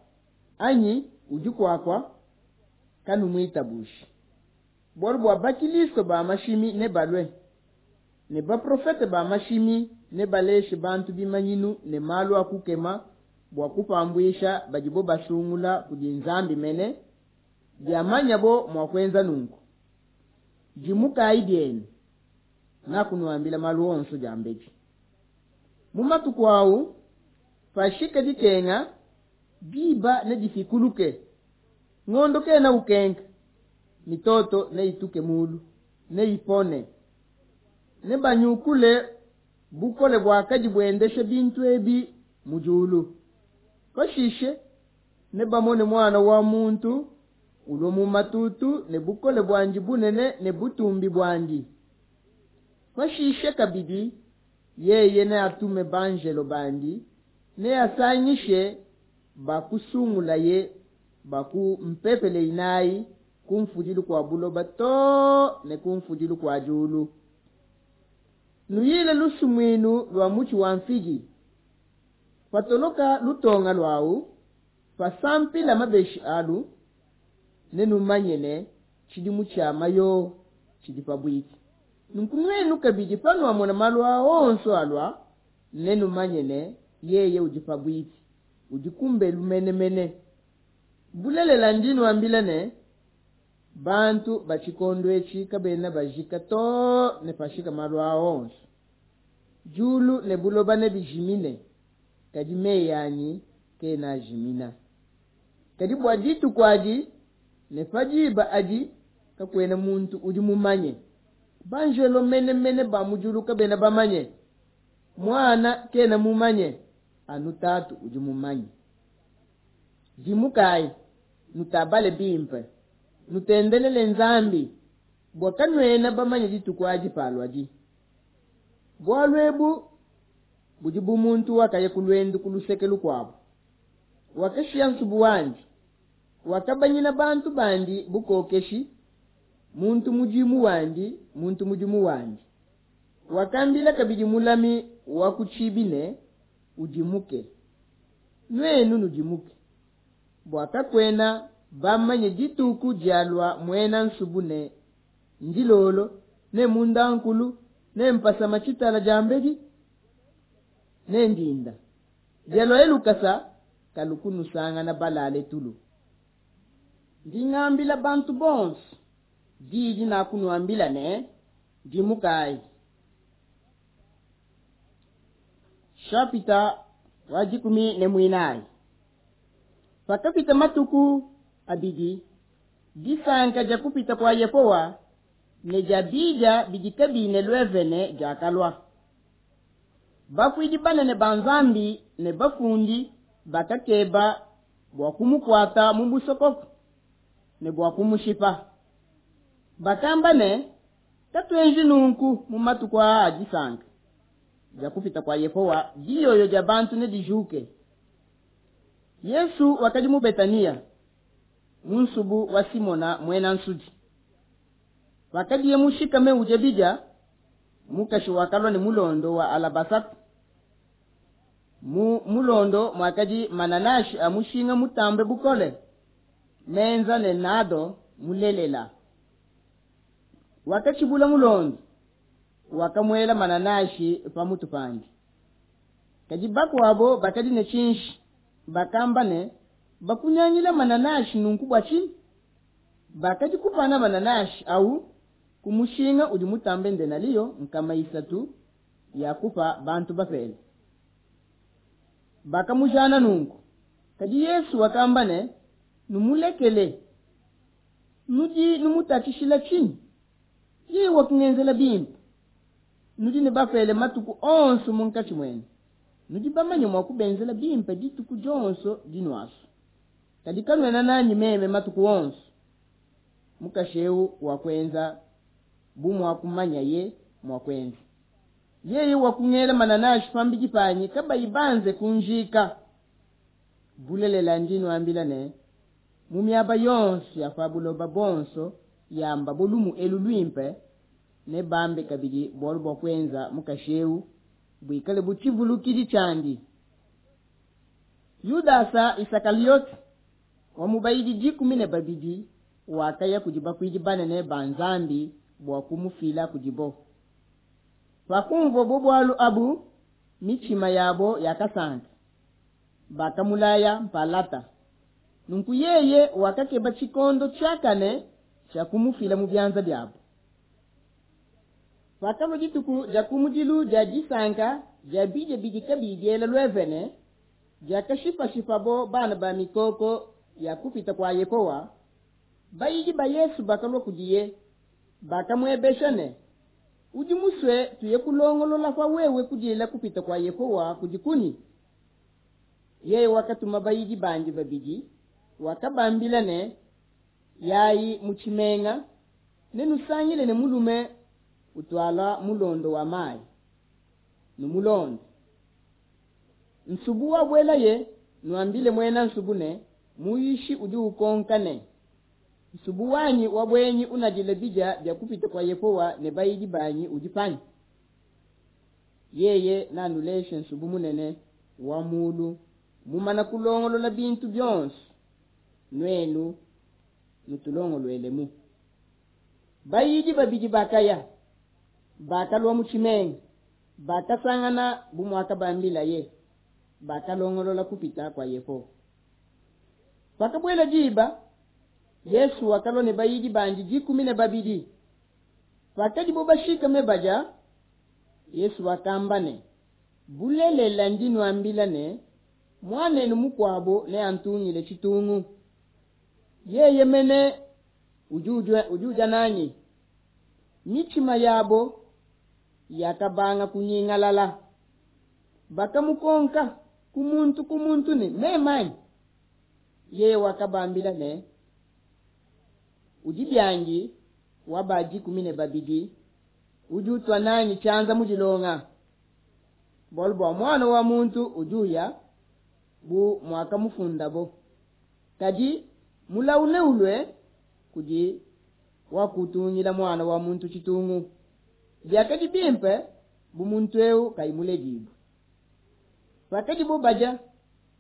anyi udi kuakua, kanumuitabushi. Bualu bua bakilisto ba mashimi nebalue, ne baprofete ba mashimi nebaleshe bantu bimanyinu ne malu a kukema bua kupambuisha badibo basungula kudi Nzambi mene, biamanyabo mua kuenza nunku. Dimukai bienu, nakunuambila malu onso diambedi. Mu matuku au, pashika dikenga, diba nedifikuluke, ngondo kena ukenka, mitoto neituke mulu, neipone. Nebanyukule bukole buakadi buendesha bintu ebi mu diulu. Pashishe nebamone Muana wa muntu ulua mu matutu ne bukole buandi bunene ne butumbi buandi. Pashishe kabidi yeye neatume banjelo bandi, neasangishe bakusungulaye ba ku mpepele inai, kunfudilu kua buloba to ne kunfudilu kua diulu. Nuyile lusumuinu lua mutshi wa nfigi: Patoloka lutonga luau, pasampila mabeshi alu, nenumanye ne, Tshidimu tshia mayoho tshidi pabuipi. Nunku nuenu kabidi, panuamona malu aa onso alua, nenumanye ne, Yeye udi pabuipi, udi ku mbelu mene mene. Bulelela, ndi nuambila ne, Bantu ba tshikondo etshi kabena bajika too ne pashika malu aa onso. Diulu ne buloba nebijimine, kadi meyi anyi kena ajimina. Kadi bua dituku adi ne pa diba adi kakuena muntu udi mumanye, banjelo mene mene ba mu diulu kabena bamanye, Muana kena mumanye, anu Tatu udi mumanye. Dimukayi, nutabale bimpe, nutendelele Nzambi, bua kanuena bamanye dituku adi paluadi. Bualu ebu budi bu muntu wakaya ku luendu ku luseke lukuabo, wakashiya nsubu wandi, wakabanyina bantu bandi bukokeshi, muntu mudimu wandi muntu mudimu wandi, wakambila kabidi mulami wa ku tshibi ne, Udimuke. Nuenu nudimuke, bua kakuena bamanye dituku dialua muena nsubu ne ndilolo, ne mundankulu, ne mpasama tshitala diambedi, ne ndinda. Bialuaye lukasa, kalu kunusangana balale tulu. Ndi ngambila bantu bonso di dinakunuambila ne, Dimukai. Nshapita wa dikumi ne muinayi. Pakapita matuku abidi, disanka dia Kupita kua Yehowa ne dia bidia bidi kabiyi ne luevene diakalua. Bakuidi banene ba Nzambi ne bafundi bakakeba bua kumukuata mu musokoko ne bua kumushipa. Bakamba ne, Katuenji nunku mu matuku aa a disanka dia Kupita kua Yehowa, diyoyo dia bantu nedijuke. Yesu wakadi mu Betania, mu nsubu wa Simona muena nsudi. Pakadiye mushikame udia bidia, mukashi wakalua ne mulondo wa alabasata. Mu mulondo muakadi mananashi a mushinga mutambe bukole, menza ne nado mulelela. Wakatshibula mulondo, wakamuela mananashi pamutu pandi. Kadi bakuabo bakadi ne tshinji, bakamba ne, bakunyangila mananashi nunku bua tshinyi? Bakadi kupana mananashi au ku mushinga udi mutambe ndenaliyo nkama isatu ya kupa bantu bapele. Bakamujana nunku. Kadi Yesu wakamba ne, numulekele, nudi numutatshishila tshinyi? Yeye wakungenzela bimpe. Nudi ne bapele matuku onso munkatshi muenu, nudi bamanye mua kubenzela bimpe dituku dionso dinuasu, kadi kanuena nanyi meme matuku onso. Mukashi eu wakuenza bu muakumanyaye mua kuenza. Yeye wakungela mananashi pambidi panyi kabayi banze kunjika. Bulelela ndi nuambila ne, mu miaba yonso ya pa buloba bonso yambabo lumu elu luimpe, nebambe kabidi bualu buakuenza mukashi eu, buikale bu tshivulukidi tshiandi. Yudasa Isakaliote, wa mu bayidi dikumi ne babidi, wakaya kudi bakuidi banene ba Nzambi bua kumufila kudibo. Pakumvuabo bualu abu, mitshima yabo yakasanka, bakamulaya mpalata. Nunku yeye wakakeba tshikondo tshiakane tshia kumufila mu bianza biabo. Pakalua dituku dia kumudilu dia disanka dia bidia bidi kabiyi biela luevene, diakashipashipabo bana ba mikoko ya Kupita kua Yehowa, bayidi ba Yesu bakalua kudiye, bakamuebesha ne, Udi musue tuye kulongolola pa wewe kudila Kupita kua Yehowa kudi kunyi? Yeye wakatuma bayidi bandi babidi, wakabambila ne, Yayi mu tshimenga, nenusangile ne mulume utuala mulondo wa mayi, numulonde. Nsubu wabuelaye, nuambile muena nsubu ne, Muyishi udi ukonka ne, Nsubu wanyi wa buenyi unadila bidia bia Kupita kua Yehowa ne bayidi banyi udi panyi? Yeye nanuleshe nsubu munene wa mulu mumana kulongolola bintu bionso, nuenu nutulongoluelemu. Bayidi babidi bakaya, bakalua mu tshimenga, bakasangana bu muakabambilaye, bakalongolola Kupita kua Yehowa. Pakabuela diba, Yesu wakalua ne bayidi bandi dikumi ne babidi. Pakadibo bashikame badia, Yesu wakamba ne, Bulelela ndi nuambila ne, Muanenu mukuabo neantungile tshitungu, yeye mene udi udia nanyi. Mitshima yabo yakabanga kunyingalala. Bakamukonka ku muntu ku muntu ne, Meme anyi? Yeye wakabambila ne, Udi biangi wa ba dikumi ne babidi, udi utua nanyi tshianza mu dilonga. Bualu bua Muana wa muntu udi uya bu muakamufundabo, kadi mulawu neulue kudi wakutungila Muana wa muntu tshitungu. Biakadi bimpe bu muntu eu kayi muledibue. Pakadibo badia,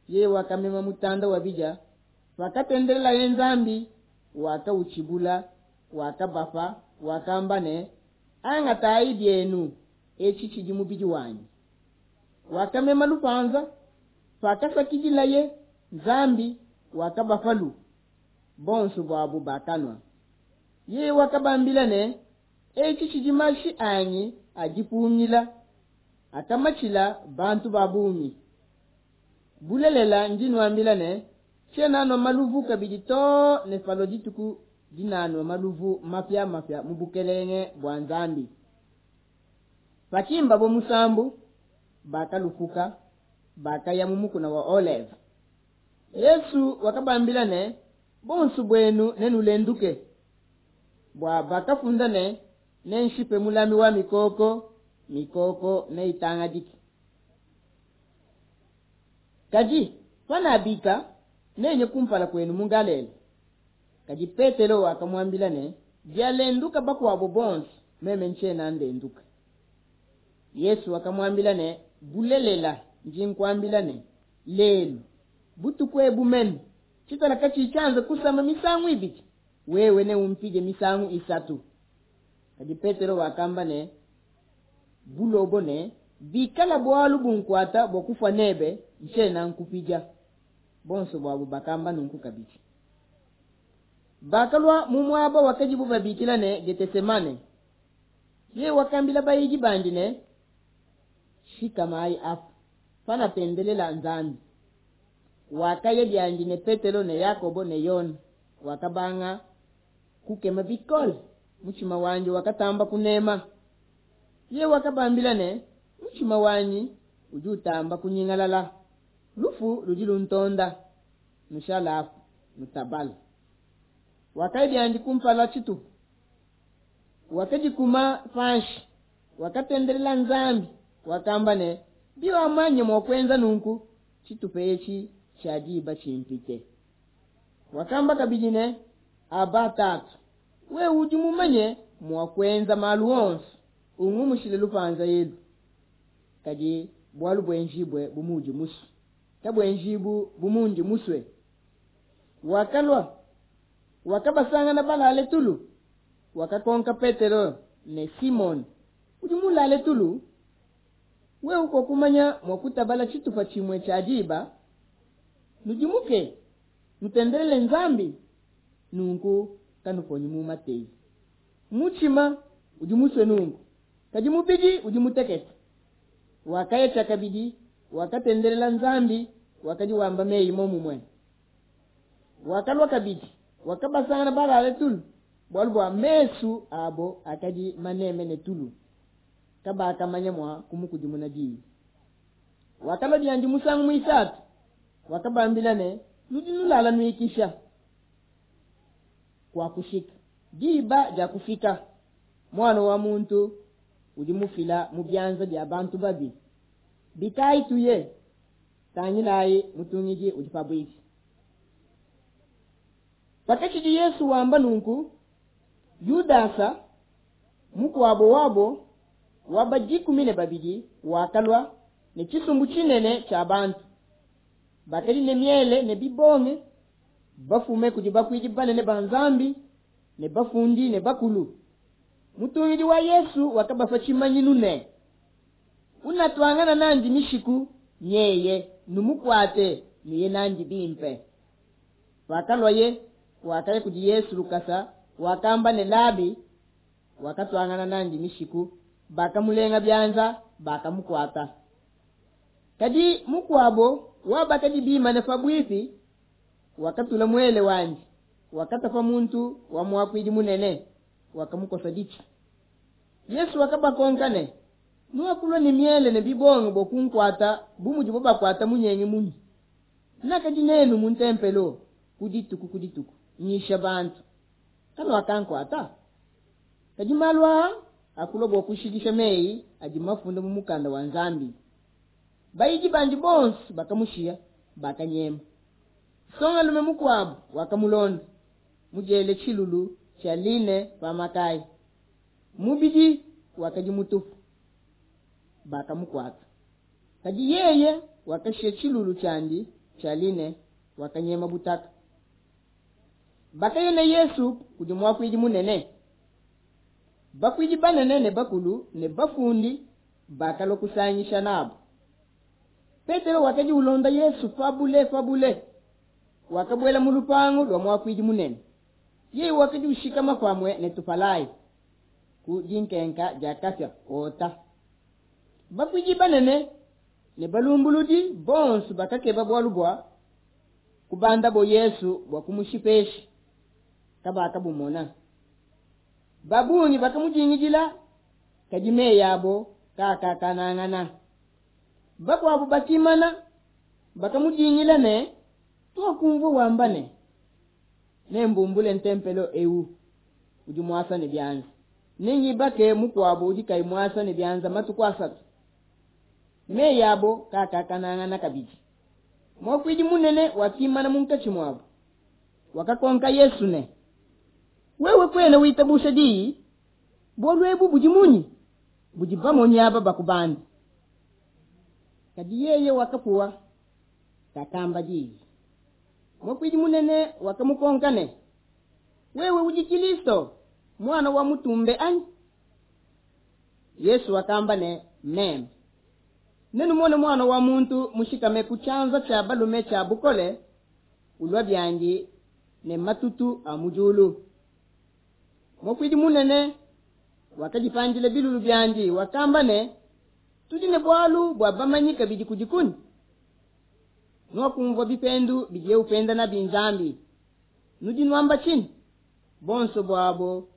yeye wakamema mutanda wa bidia, pakatendelelaye Nzambi, wakautshibula, wakabapa, wakamba ne, Angatayi bienu, etshi tshidi mubidi wanyi. Wakamema lupanza, pakasakidilaye Nzambi, wakabapalu, bonso buabo bakanua. Yeye wakabambila ne, Etshi tshidi mashi anyi a dipungila, akamatshila bantu ba bungi. Bulelela ndi nuambila ne, tshiena nua maluvu kabidi too ne palua dituku dinanua maluvu mapia-mapia mu bukelenge bua Nzambi. Pakimbabo musambu, bakalupuka, bakaya mu mukuna wa Oleve. Yesu wakabambila ne, Bonso buenu nenulenduke, bua bakafunda ne, Nenshipe mulami wa mikoko, mikoko neitangadike. Kadi Panabika, nenye kumpala kuenu mu Galela. Kadi Petelo wakamuambila ne, Bialenduka bakuabo bonso, meme ntshiena ndenduka. Yesu wakamuambila ne, Bulelela, ndi nkuambila ne, Lelu, butuku ebu mene, tshitala katshiyi tshianze kusama misangu ibidi, wewe neumpidie misangu isatu. Kadi Petelo wakamba ne bulobo ne, Bikala bualu bunkuata bua kufua nebe, ntshiena nkupidia. Bonso buabo bakamba nunku kabidi. Bakalua mu muaba wakadibo babikila ne, Getesemane. Yeye wakambila bayidi bandi ne, Shikamayi apa, panatendelela Nzambi. Wakaya biandi ne Petelo ne Yakobo ne Yone, wakabanga kukema bikole, mutshima wandi wakatamba kunema. Yeye wakabambila ne, Mutshima wanyi udi utamba kunyingalala, lufu ludi luntonda, nushale apa, nutabale. Wakaya biandi kumpala tshitupa, wakadikuma panshi, wakatendelela Nzambi, wakamba ne, Biwamanya mua kuenza nunku, tshitupa etshi tshia diba tshimpite. Wakamba kabidi ne, Aba Tatu, wewe udi mumanye mua kuenza malu onso, ungumushile lupanza elu, kadi bualu buenjibue bu muudi musue, kabuenjibu bu mundi musue. Wakalua, wakabasangana balale tulu, wakakonka Petelo ne, Simone, udi mulale tulu? Wewe kuakumanya mua kutabala tshitupa tshimue tshia diba? Nudimuke, nutendelele Nzambi, nunku kanuponyi mu mateyi. Mutshima udi musue nunku, kadi mubidi udi mutekete. Wakaya tshiakabidi, wakatendelela Nzambi, wakadi wamba meyi momumue. Wakalua kabidi, wakabasangana balale tulu, bualu bua mesu abo akadi maneme ne tulu, kabakamanya mua kumukudimuna diyi. Wakalua biandi musangu muisatu, wakabambila ne, Nudi nulala nuikisha, kuakushika, diba diakufika, Muana wa muntu udi mufila mu bianza bia bantu babi. Bikayi tuye, tangilayi, mutungidi udi pabuipi. Pakatshidi Yesu wamba nunku, Yudasa, mukuabo wabo wa ba dikumi ne babidi, wakalua ne tshisumbu tshinene tshia bantu, bakadi ne miele ne bibonge, bafume kudi bakuidi banene ba Nzambi ne bafundi ne bakulu. Mutungidi wa Yesu wakabapa tshimanyinu ne, Unatuangana nandi mishiku nyeye, numukuate, nuye nandi bimpe. Pakaluaye, wakaya kudi Yesu lukasa, wakamba ne, Labi, wakatuangana nandi mishiku, bakamulenga bianza, bakamukuata. Kadi mukuabo wa bakadi bimane pabuipi wakatula muele wandi, wakatapa muntu wa muakuidi munene, wakamukosa ditshi. Yesu wakabakonka ne, Nuakulua ne miele ne bibonge bua kunkuata bu mudibo bakuata munyengi munyi? Nakadi nenu mu ntempelo ku dituku ku dituku, nyisha bantu, kanuakankuata. Kadi malu aa akulua bua kushikisha meyi adi mafunda mu mukanda wa Nzambi. Bayidi bandi bonso bakamushiya, bakanyema. Nsongalume mukuabo wakamulonda, mudiele tshilulu tshia line pa makaya, mubidi wakadi mutupu, bakamukuata. Kadi yeye wakashiya tshilulu tshiandi tshia line, wakanyema butaka. Bakaya ne Yesu kudi muakuidi munene. Bakuidi banene ne bakulu ne bafundi bakalua kusangisha nabo. Petelo wakadi ulonda Yesu pabule pabule, wakabuela mu lupangu lua muakuidi munene. Yeye wakadi ushikama pamue ne tupalayi ku dinkenka dia kapia kota. Bakuidi banene ne balumbuludi bonso bakakeba bualu bua kubandabo Yesu bua kumushipesha, kabakabumona. Babungi bakamudingidila, kadi meyi abo kaakakanangana. Bakuabo bakimana, bakamudingila ne, Tuakumvua wamba ne, Nembumbule ntempelo ewu udi muasa ne bianza, nengibake mukuabo udi kayi muasa ne bianza matuku asatu. Meyi abo kaakakanangana kabidi. Muakuidi munene wakimana munkatshi muabo, wakakonka Yesu ne, wewe kwena witabusha diyi? Bualu ebu budi munyi budi bamonyi aba bakubanda? Kadi yeye wakapuwa, kakamba diyi. Muakuidi munene wakamukonka ne, wewe udi Kilisto, mwana wa mutumbe anyi? Yesu wakamba ne, meme. Nenumone mwana wa muntu mushikame ku tshianza tshia balume tshia bukole, ulua biandi ne matutu a mu diulu. Muakuidi munene wakadipandila bilulu biandi, wakamba ne, tudi ne bualu bua bamanyi kabidi kudi kunyi? Nuakumvua bipendu bidiye upenda nabi Nzambi. Nudi nuamba tshinyi? Bonso buabo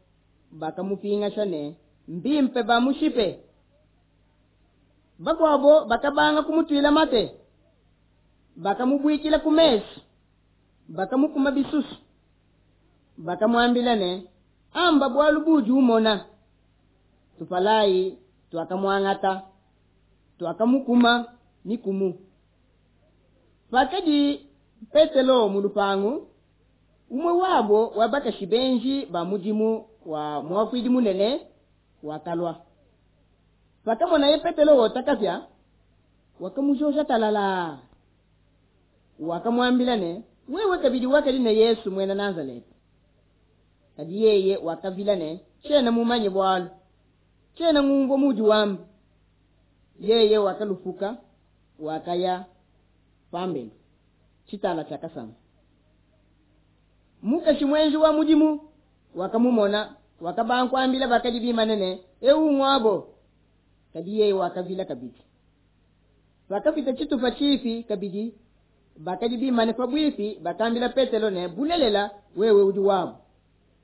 bakamupingasha ne, mbimpe bamushipe. Bakuabo bakabanga kumutuila mate, bakamubuikila ku mesu, bakamukuma bisusu, bakamuambila ne, amba bualu budi umona. Tupalayi tuakamuangata, tuakamukuma mikumu. Pakadi Petelo mu lupangu, umue wabo wa bakashi benji ba mudimu wa muakuidi munene wakalua. Pakamonaye Petelo wota kapia, wakamujoja talala. Wakamuambila ne, wewe kabidi wakadi ne Yesu muena Nazaleta. Kadi yeye wakavila ne, tshiena mumanye bualu, tshiena ngumvua mudi wamba. Yeye wakalupuka, wakaya pambelu tshitala tshiakasama. Mukashi muenji wa mudimu wakamumona, wakabankuambila bakadi bimane ne, ewu ngwabo. Kadi yeye wakavila kabidi. Pakapita tshitupa tshipi kabidi, bakadi bimane pabuipi bakambila Petelo ne, bulelela wewe udi wabo,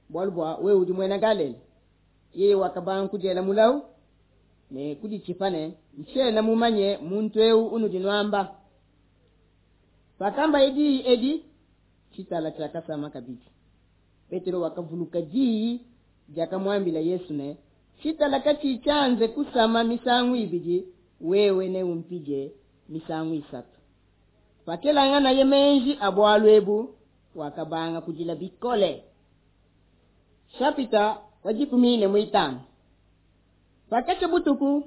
bualu bua wewe udi muena Galela. Yeye wakabankudiela mulawu ne kuditshipa ne, ntshiena mumanye muntu ewu unudi nuamba. Pakambaye diyi edi, tshitala tshiakasama kabidi. Petelo wakavuluka diyi diakamuambila Yesu ne, tshitala katshi tshianze kusama misangu ibidi, wewe neumpidie misangu isatu. Pakelanganaye menji a bualu ebu, wakabanga kudila bikole. Chapita wa dikumi ne muitanu. Pakatshia butuku,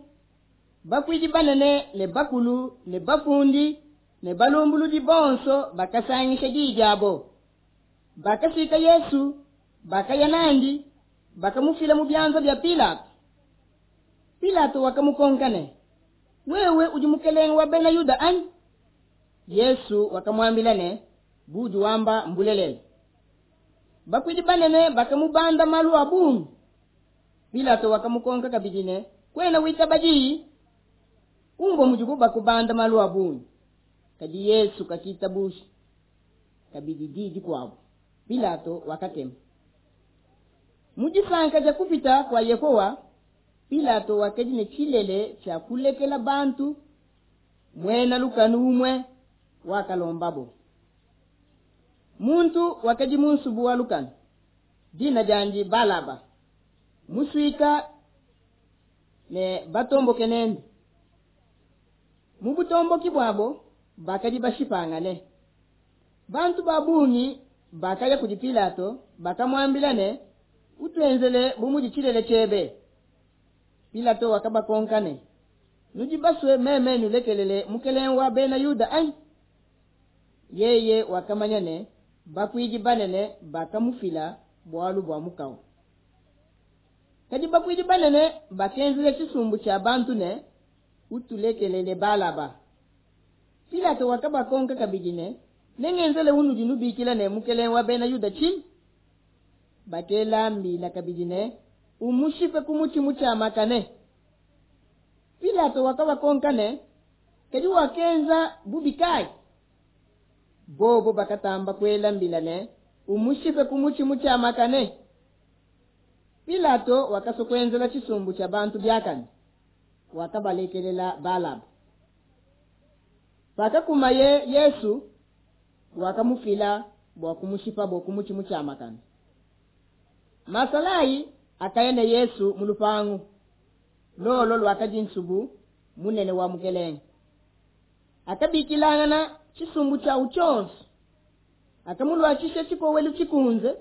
bakuidi banene ne bakulu ne bafundi ne balumbuludi bonso bakasangisha diyi diabo. Bakasika Yesu, bakaya nandi, bakamufila mu bianza bia Pilato. Pilato wakamukonka ne, wewe udi mukelenge wa bena Yuda anyi? Yesu wakamuambila ne, budi wamba mbulelele. Bakuidi banene bakamubanda malu a bungi. Pilato wakamukonka kabidi ne, kwena witaba diyi? Umvua mudibu bakubanda malu a bungi. Kadi Yesu kakitabusha kabidi diyi dikuabu. Pilato wakakema. Mu disanka dia kupita kua Yehowa, Pilato wakadi ne tshilele tshia kulekela bantu muena lukanu umue wakalombabo. Muntu wakadi mu nsubu wa lukanu, dina diandi Balaba, musuika ne batomboke nende. Mu butomboki buabo bakadi bashipangane. Bantu ba bungi bakaya kudi Pilato, bakamuambila ne, utuenzele bu mudi tshilele tshiebe. Pilato wakabakonka ne, nudi basue meme nulekelele mukelenge wa bena Yuda anyi? Yeye wakamanya ne, bakuidi banene bakamufila bualu bua mukawu. Kadi bakuidi banene bakenzela tshisumbu tshia bantu ne, utulekelele Balaba. Pilato wakabakonka kabidi ne, nengenzele unudi nubikila ne mukelenge wa bena Yuda tshinyi? Bakela mbila kabidi ne, umushipe ku mutshi mutshiamakane. Pilato wakabakonka ne, kadi wakenza bubi kayi? Bobo bakatamba kuela mbila ne, umushipe ku mutshi mutshiamakane. Pilato wakasokuenzela tshisumbu tshia bantu biakane, wakabalekelela Balaba. Pakakumaye Yesu, wakamufila bua kumushipa bua ku mutshi mutshiamakane. Masalayi akaya ne Yesu mu lupangu lolo lwakadi nsubu munene wa mukelenge. Akabikilangana tshisumbu tshiawu tshionso. Akamuluatshisha tshikowelu tshikunze.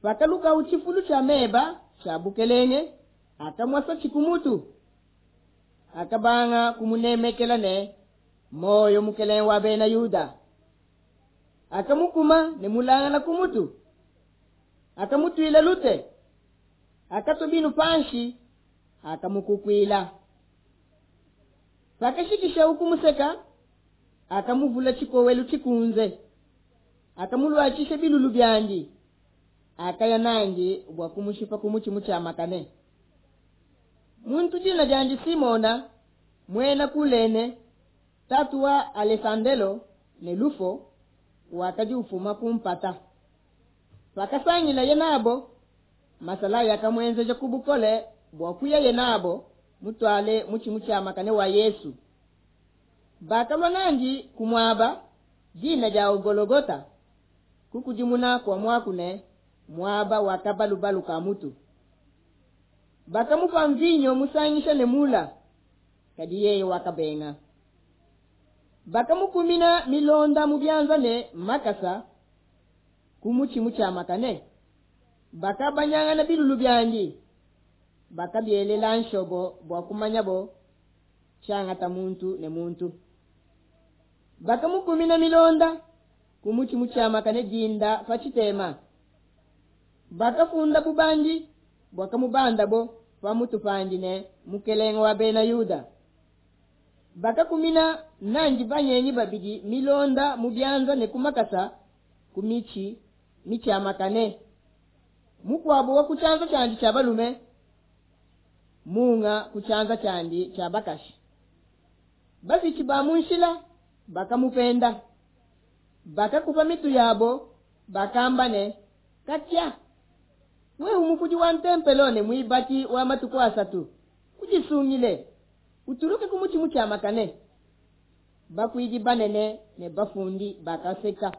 Pakalukawu tshifulu tshia meba tshia bukelenge, akamuasa tshikumutu. Akabanga kumunemekela ne moyo mukelenge wa bena Yuda. Akamukuma ne mulangala kumutu. Akamutwila lute. Akatua binu panshi, akamukukwila. Pakashikisha ukumuseka, akamuvula tshikowelu tshikunze. Akamuluatshisha bilulu byandi. Akaya nandi bua kumushipa kumutshimu tshia makane. Muntu dina dyandi Simona, mwena Kulene, tatu wa Alessandelo ne Lufo, wakadi ufuma kumpata. Pakasangila ye nabo, masala yakamwenzeja kubukole bua kuya ye nabo mutwale mutshimu tshia makane wa Yesu. Bakalua nandi kumuaba dina dia Gologota, kukudimuna kwa mwaku ne muaba wa kabalubalu ka mutu. Bakamupa mvinyo musangisha ne mula, kadi yeye wakabenga. Bakamukumina milonda mu byanza ne makasa kumutshimu tshia makane. Bakabanyangana bilulu byandi, bakabielela nshobo bua kumanyabo tshiangata muntu ne muntu. Bakamukumina milonda kumutshimu tshia makane dinda pa tshitema. Bakafunda bubandi bwakamubandabo pamutu pandi ne mukelenge wa bena Yuda. Bakakumina nandi banyenyi babidi milonda mu byanza ne kumakasa kumichi michamakane. Mukwabo wa kuchanza chandi cha balume, munga kuchanza chandi cha bakashi. Basi chibamunshila bakamupenda. Bakakupa mitu yabo bakamba ne katya, we umukuji wa ntempelo ne mwibaki wa matuku asatu, ujisungile uturuke kumuchimu cha makane. Bakwiji banene ne bafundi bakaseka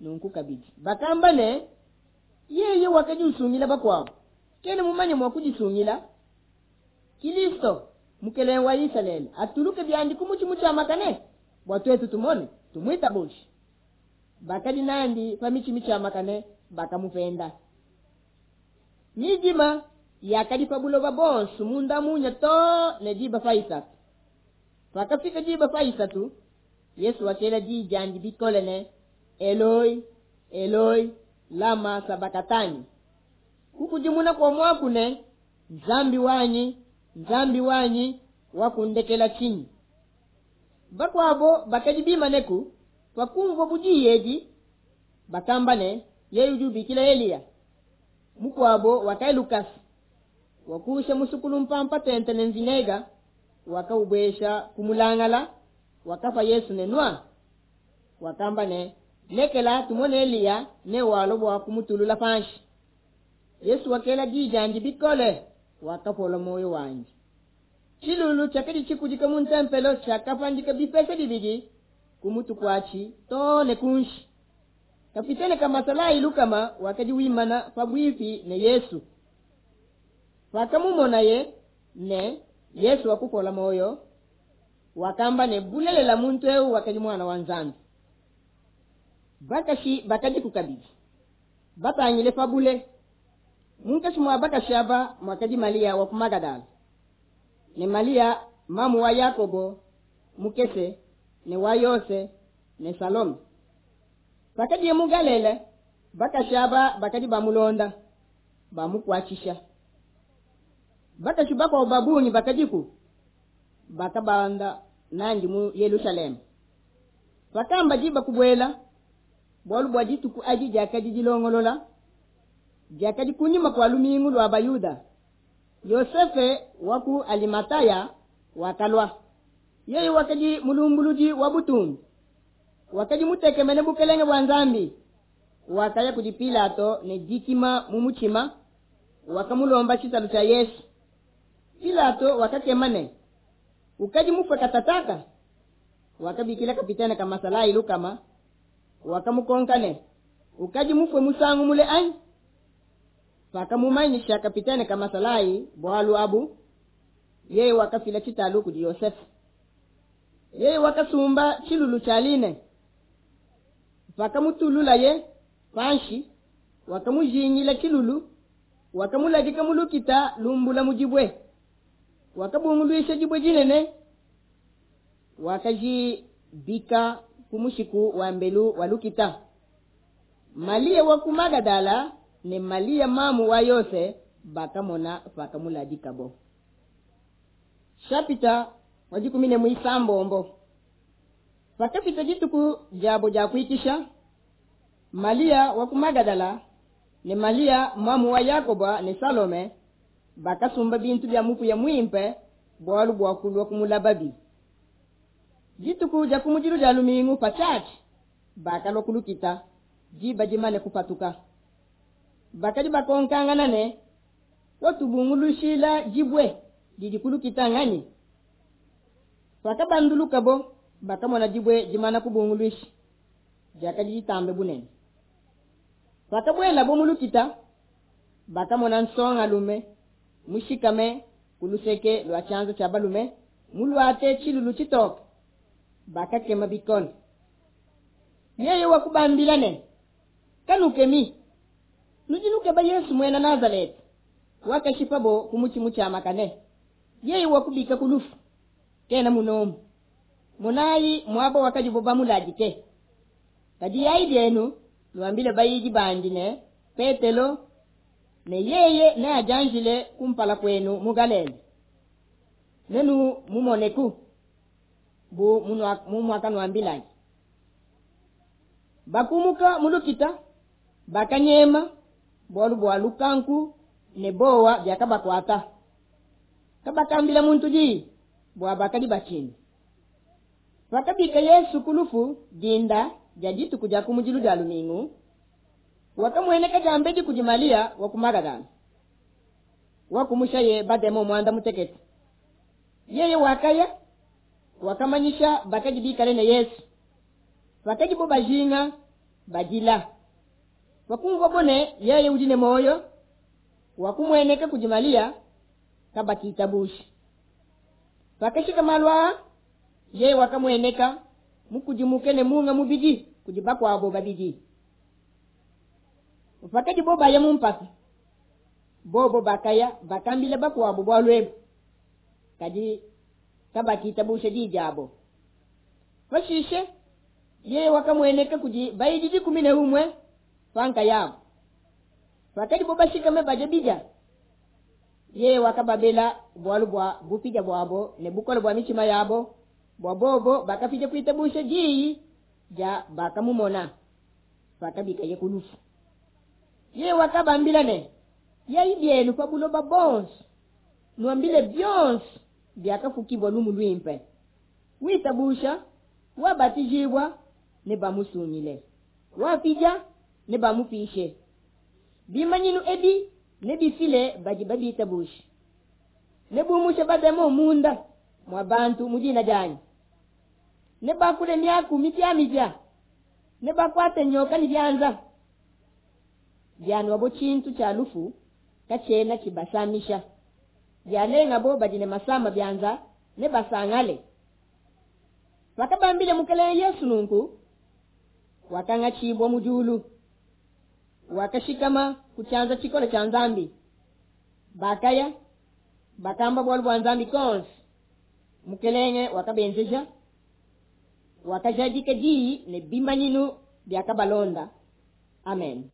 nunku kabidi. Bakamba ne yeye wakaji usungila bakwabo, kene mumanye mwa kujisungila. Kristo mukele wa Israeli atuluke byandi kumuchimu cha makane bwa twetu tumone tumwita boshi. Bakadi nandi pa michimu cha makane bakamupenda. Nijima yakadi pa buloba bonso munda munya to ne diba faisatu. Pakafika diba faisatu, Yesu wakela di jandi bikole ne Eloi, Eloi, lama sabakatani. Kukujimuna kwa mwaku ne Nzambi wanyi, Nzambi wanyi wakundekela chini. Bakwabo bakadi neku pakumva budiyeji bakamba ne yeye ujubikila Eliya. Mukwabo wakai Lukas wakusha musukulu mpampa tente ne nzinega wakaubwesha kumulangala wakafa Yesu nenwa. Wakamba ne lekela tumone Eliya ne walo wa kumutulula panshi. Yesu wakela dijandi bikole wakapola moyo wanji. Chilulu chakadi chikujika mu ntempelo chakapandika bipese bibidi kumutu kwachi tone kunshi. Kapitene kamasala ilukama wakadi wimana pabwifi ne Yesu. Wakamumona ye ne Yesu wakupola moyo wakamba ne bulelela muntu eu wakadi mwana wa Nzambi. Bakashi bakadi kukabidi batangile pabule. Munkashi mwa bakashi aba mwakadi Malia wa Magadala ne Malia mamu wa Yakobo mukese ne wa Yose ne Salome. Bakadi mu Galile bakashi aba bakadi bamulonda bamukwachisha. Bakashi bakwa babunyi bakadiku bakabanda nandi mu Yerusalemu. Bakamba jiba kubwela bwalu bwa dituku aji jakadi dilongolola jakadi kunyima kwa lumingu lwa Bayuda. Yosefe waku Alimataya wakalwa. Yeye wakadi mulumbuluji wa butumbi, wakadi mutekemene bukelenge bwa Nzambi. Wakaya kudi Pilato ne dikima mumuchima wakamulomba chitalu cha Yesu. Pilato wakakemane ukadi mufwe katataka. Wakabikila kapitana kama salai lukama wakamukonkane ukadi mufwe musangu mule anyi. Pakamumanyisha kapitana kama salai bwalu abu yeye wakafila chitalu kudi Yosefu. Yeye wakasumba tshilulu tshia line, pakamutululaye panshi, wakamujingila tshilulu, wakamuladika mu lukita lumbula mu dibue, wakabunguluisha dibue dinene, wakajibika ku mushiku wa mbelu wa lukita. Malia wa ku Magadala ne Malia mamu wa Yose bakamona pakamuladikabo. Chapita wa dikumi ne muisambombo. Pakapita dituku diabo dia kuikisha, Malia wa ku Magadala ne Malia mamu wa Yakoba ne Salome bakasumba bintu bia mupuya muimpe bualu bua kulua kumulababi. Dituku dia kumudilu dia lumingu patshiatshi bakalua kulukita diba dimane kupatuka. Bakadi bakonkangana ne, watubungulushila dibue didi kulukita nganyi? Pakabandulukabo bakamona dibue dimana kubunguluisha diakadi ditambe bunene. Pakabuelabo mu lukita bakamona nsongalume mushikame ku luseke lua tshianza tshia balume muluate tshilulu tshitoke, bakakema bikole. Yeye wakubambila ne, kanukemi, nudi nukeba Yesu muena Nazarete wakashipabo ku mutshi mutshiamakane. Yeye wakubika ku lufu, kena munomu. Monayi muaba wakadibo bamuladike. Kadi yayi bienu nuambile bayidi bandi ne Petelo ne yeye neadianjile kumpala kwenu mu Galile, nenu mumoneku bu mumwakanuambilayi. Bakumuka mu lukita bakanyema bualu bua lukanku ne bowa biakabakuata. Kabakambila muntu diyi bua bakadi batshina. Pakabika Yesu ku lufu dinda dia dituku dia kumudilu dia lumingu, wakamueneka diambedi kudi Malia wa ku Magadala, wakumushaye bademo muanda mutekete. Yeye wakaya wakamanyisha bakadi bikale ne Yesu. Bakadi bo bajinga badila. Wakumvua bone yeye udi ne moyo, wakumueneka kudi Malia kabakitabusha. Pakashika malu aa, yeye wakamueneka mukudimuke ne munga mubidi kudi bakuabo babidi. Pakadi bo baya mu mpata, bobo bakaya bakambila bakuabo bualu ebu, kadi kabakitabusha diyi diabo. Pashishe yeye wakamueneka kudi bayidi dikumi ne umue pankayabo. Pakadi bo bashikame badia bidia, yeye wakababela bualu bua bupidia buabo ne bukole bua mitshima yabo, bua bobo bakafika kuitabusha diyi dia bakamumona pakabikaye ku lufu. Yeye wakabambila ne, yayi bienu pa buloba bonso, nuambile bionso biakafukibwa lumu luimpe. Witabusha wabatijibwa ne bamusungile, wapidia ne bamupishe. Bimanyinu ebi ne bifile badi babitabusha, ne bumushe bademo munda mwa bantu mu dina dianyi, ne bakule miaku mipiamipia, ne bakwate nyoka ne bianza bianuabo tshintu tshia lufu katshiena tshibasamisha, bialengabo badi ne masama bianza ne basangale. Pakabambile Mukelenge Yesu nunku, wakangatshibwa mu diulu, wakashikama ku tshianza tshikole tshia Nzambi. Bakaya bakamba bualu bua Nzambi konse. Mukelenge wakabenzeja, wakajadika diyi ne bimanyinu biakabalonda. Amen.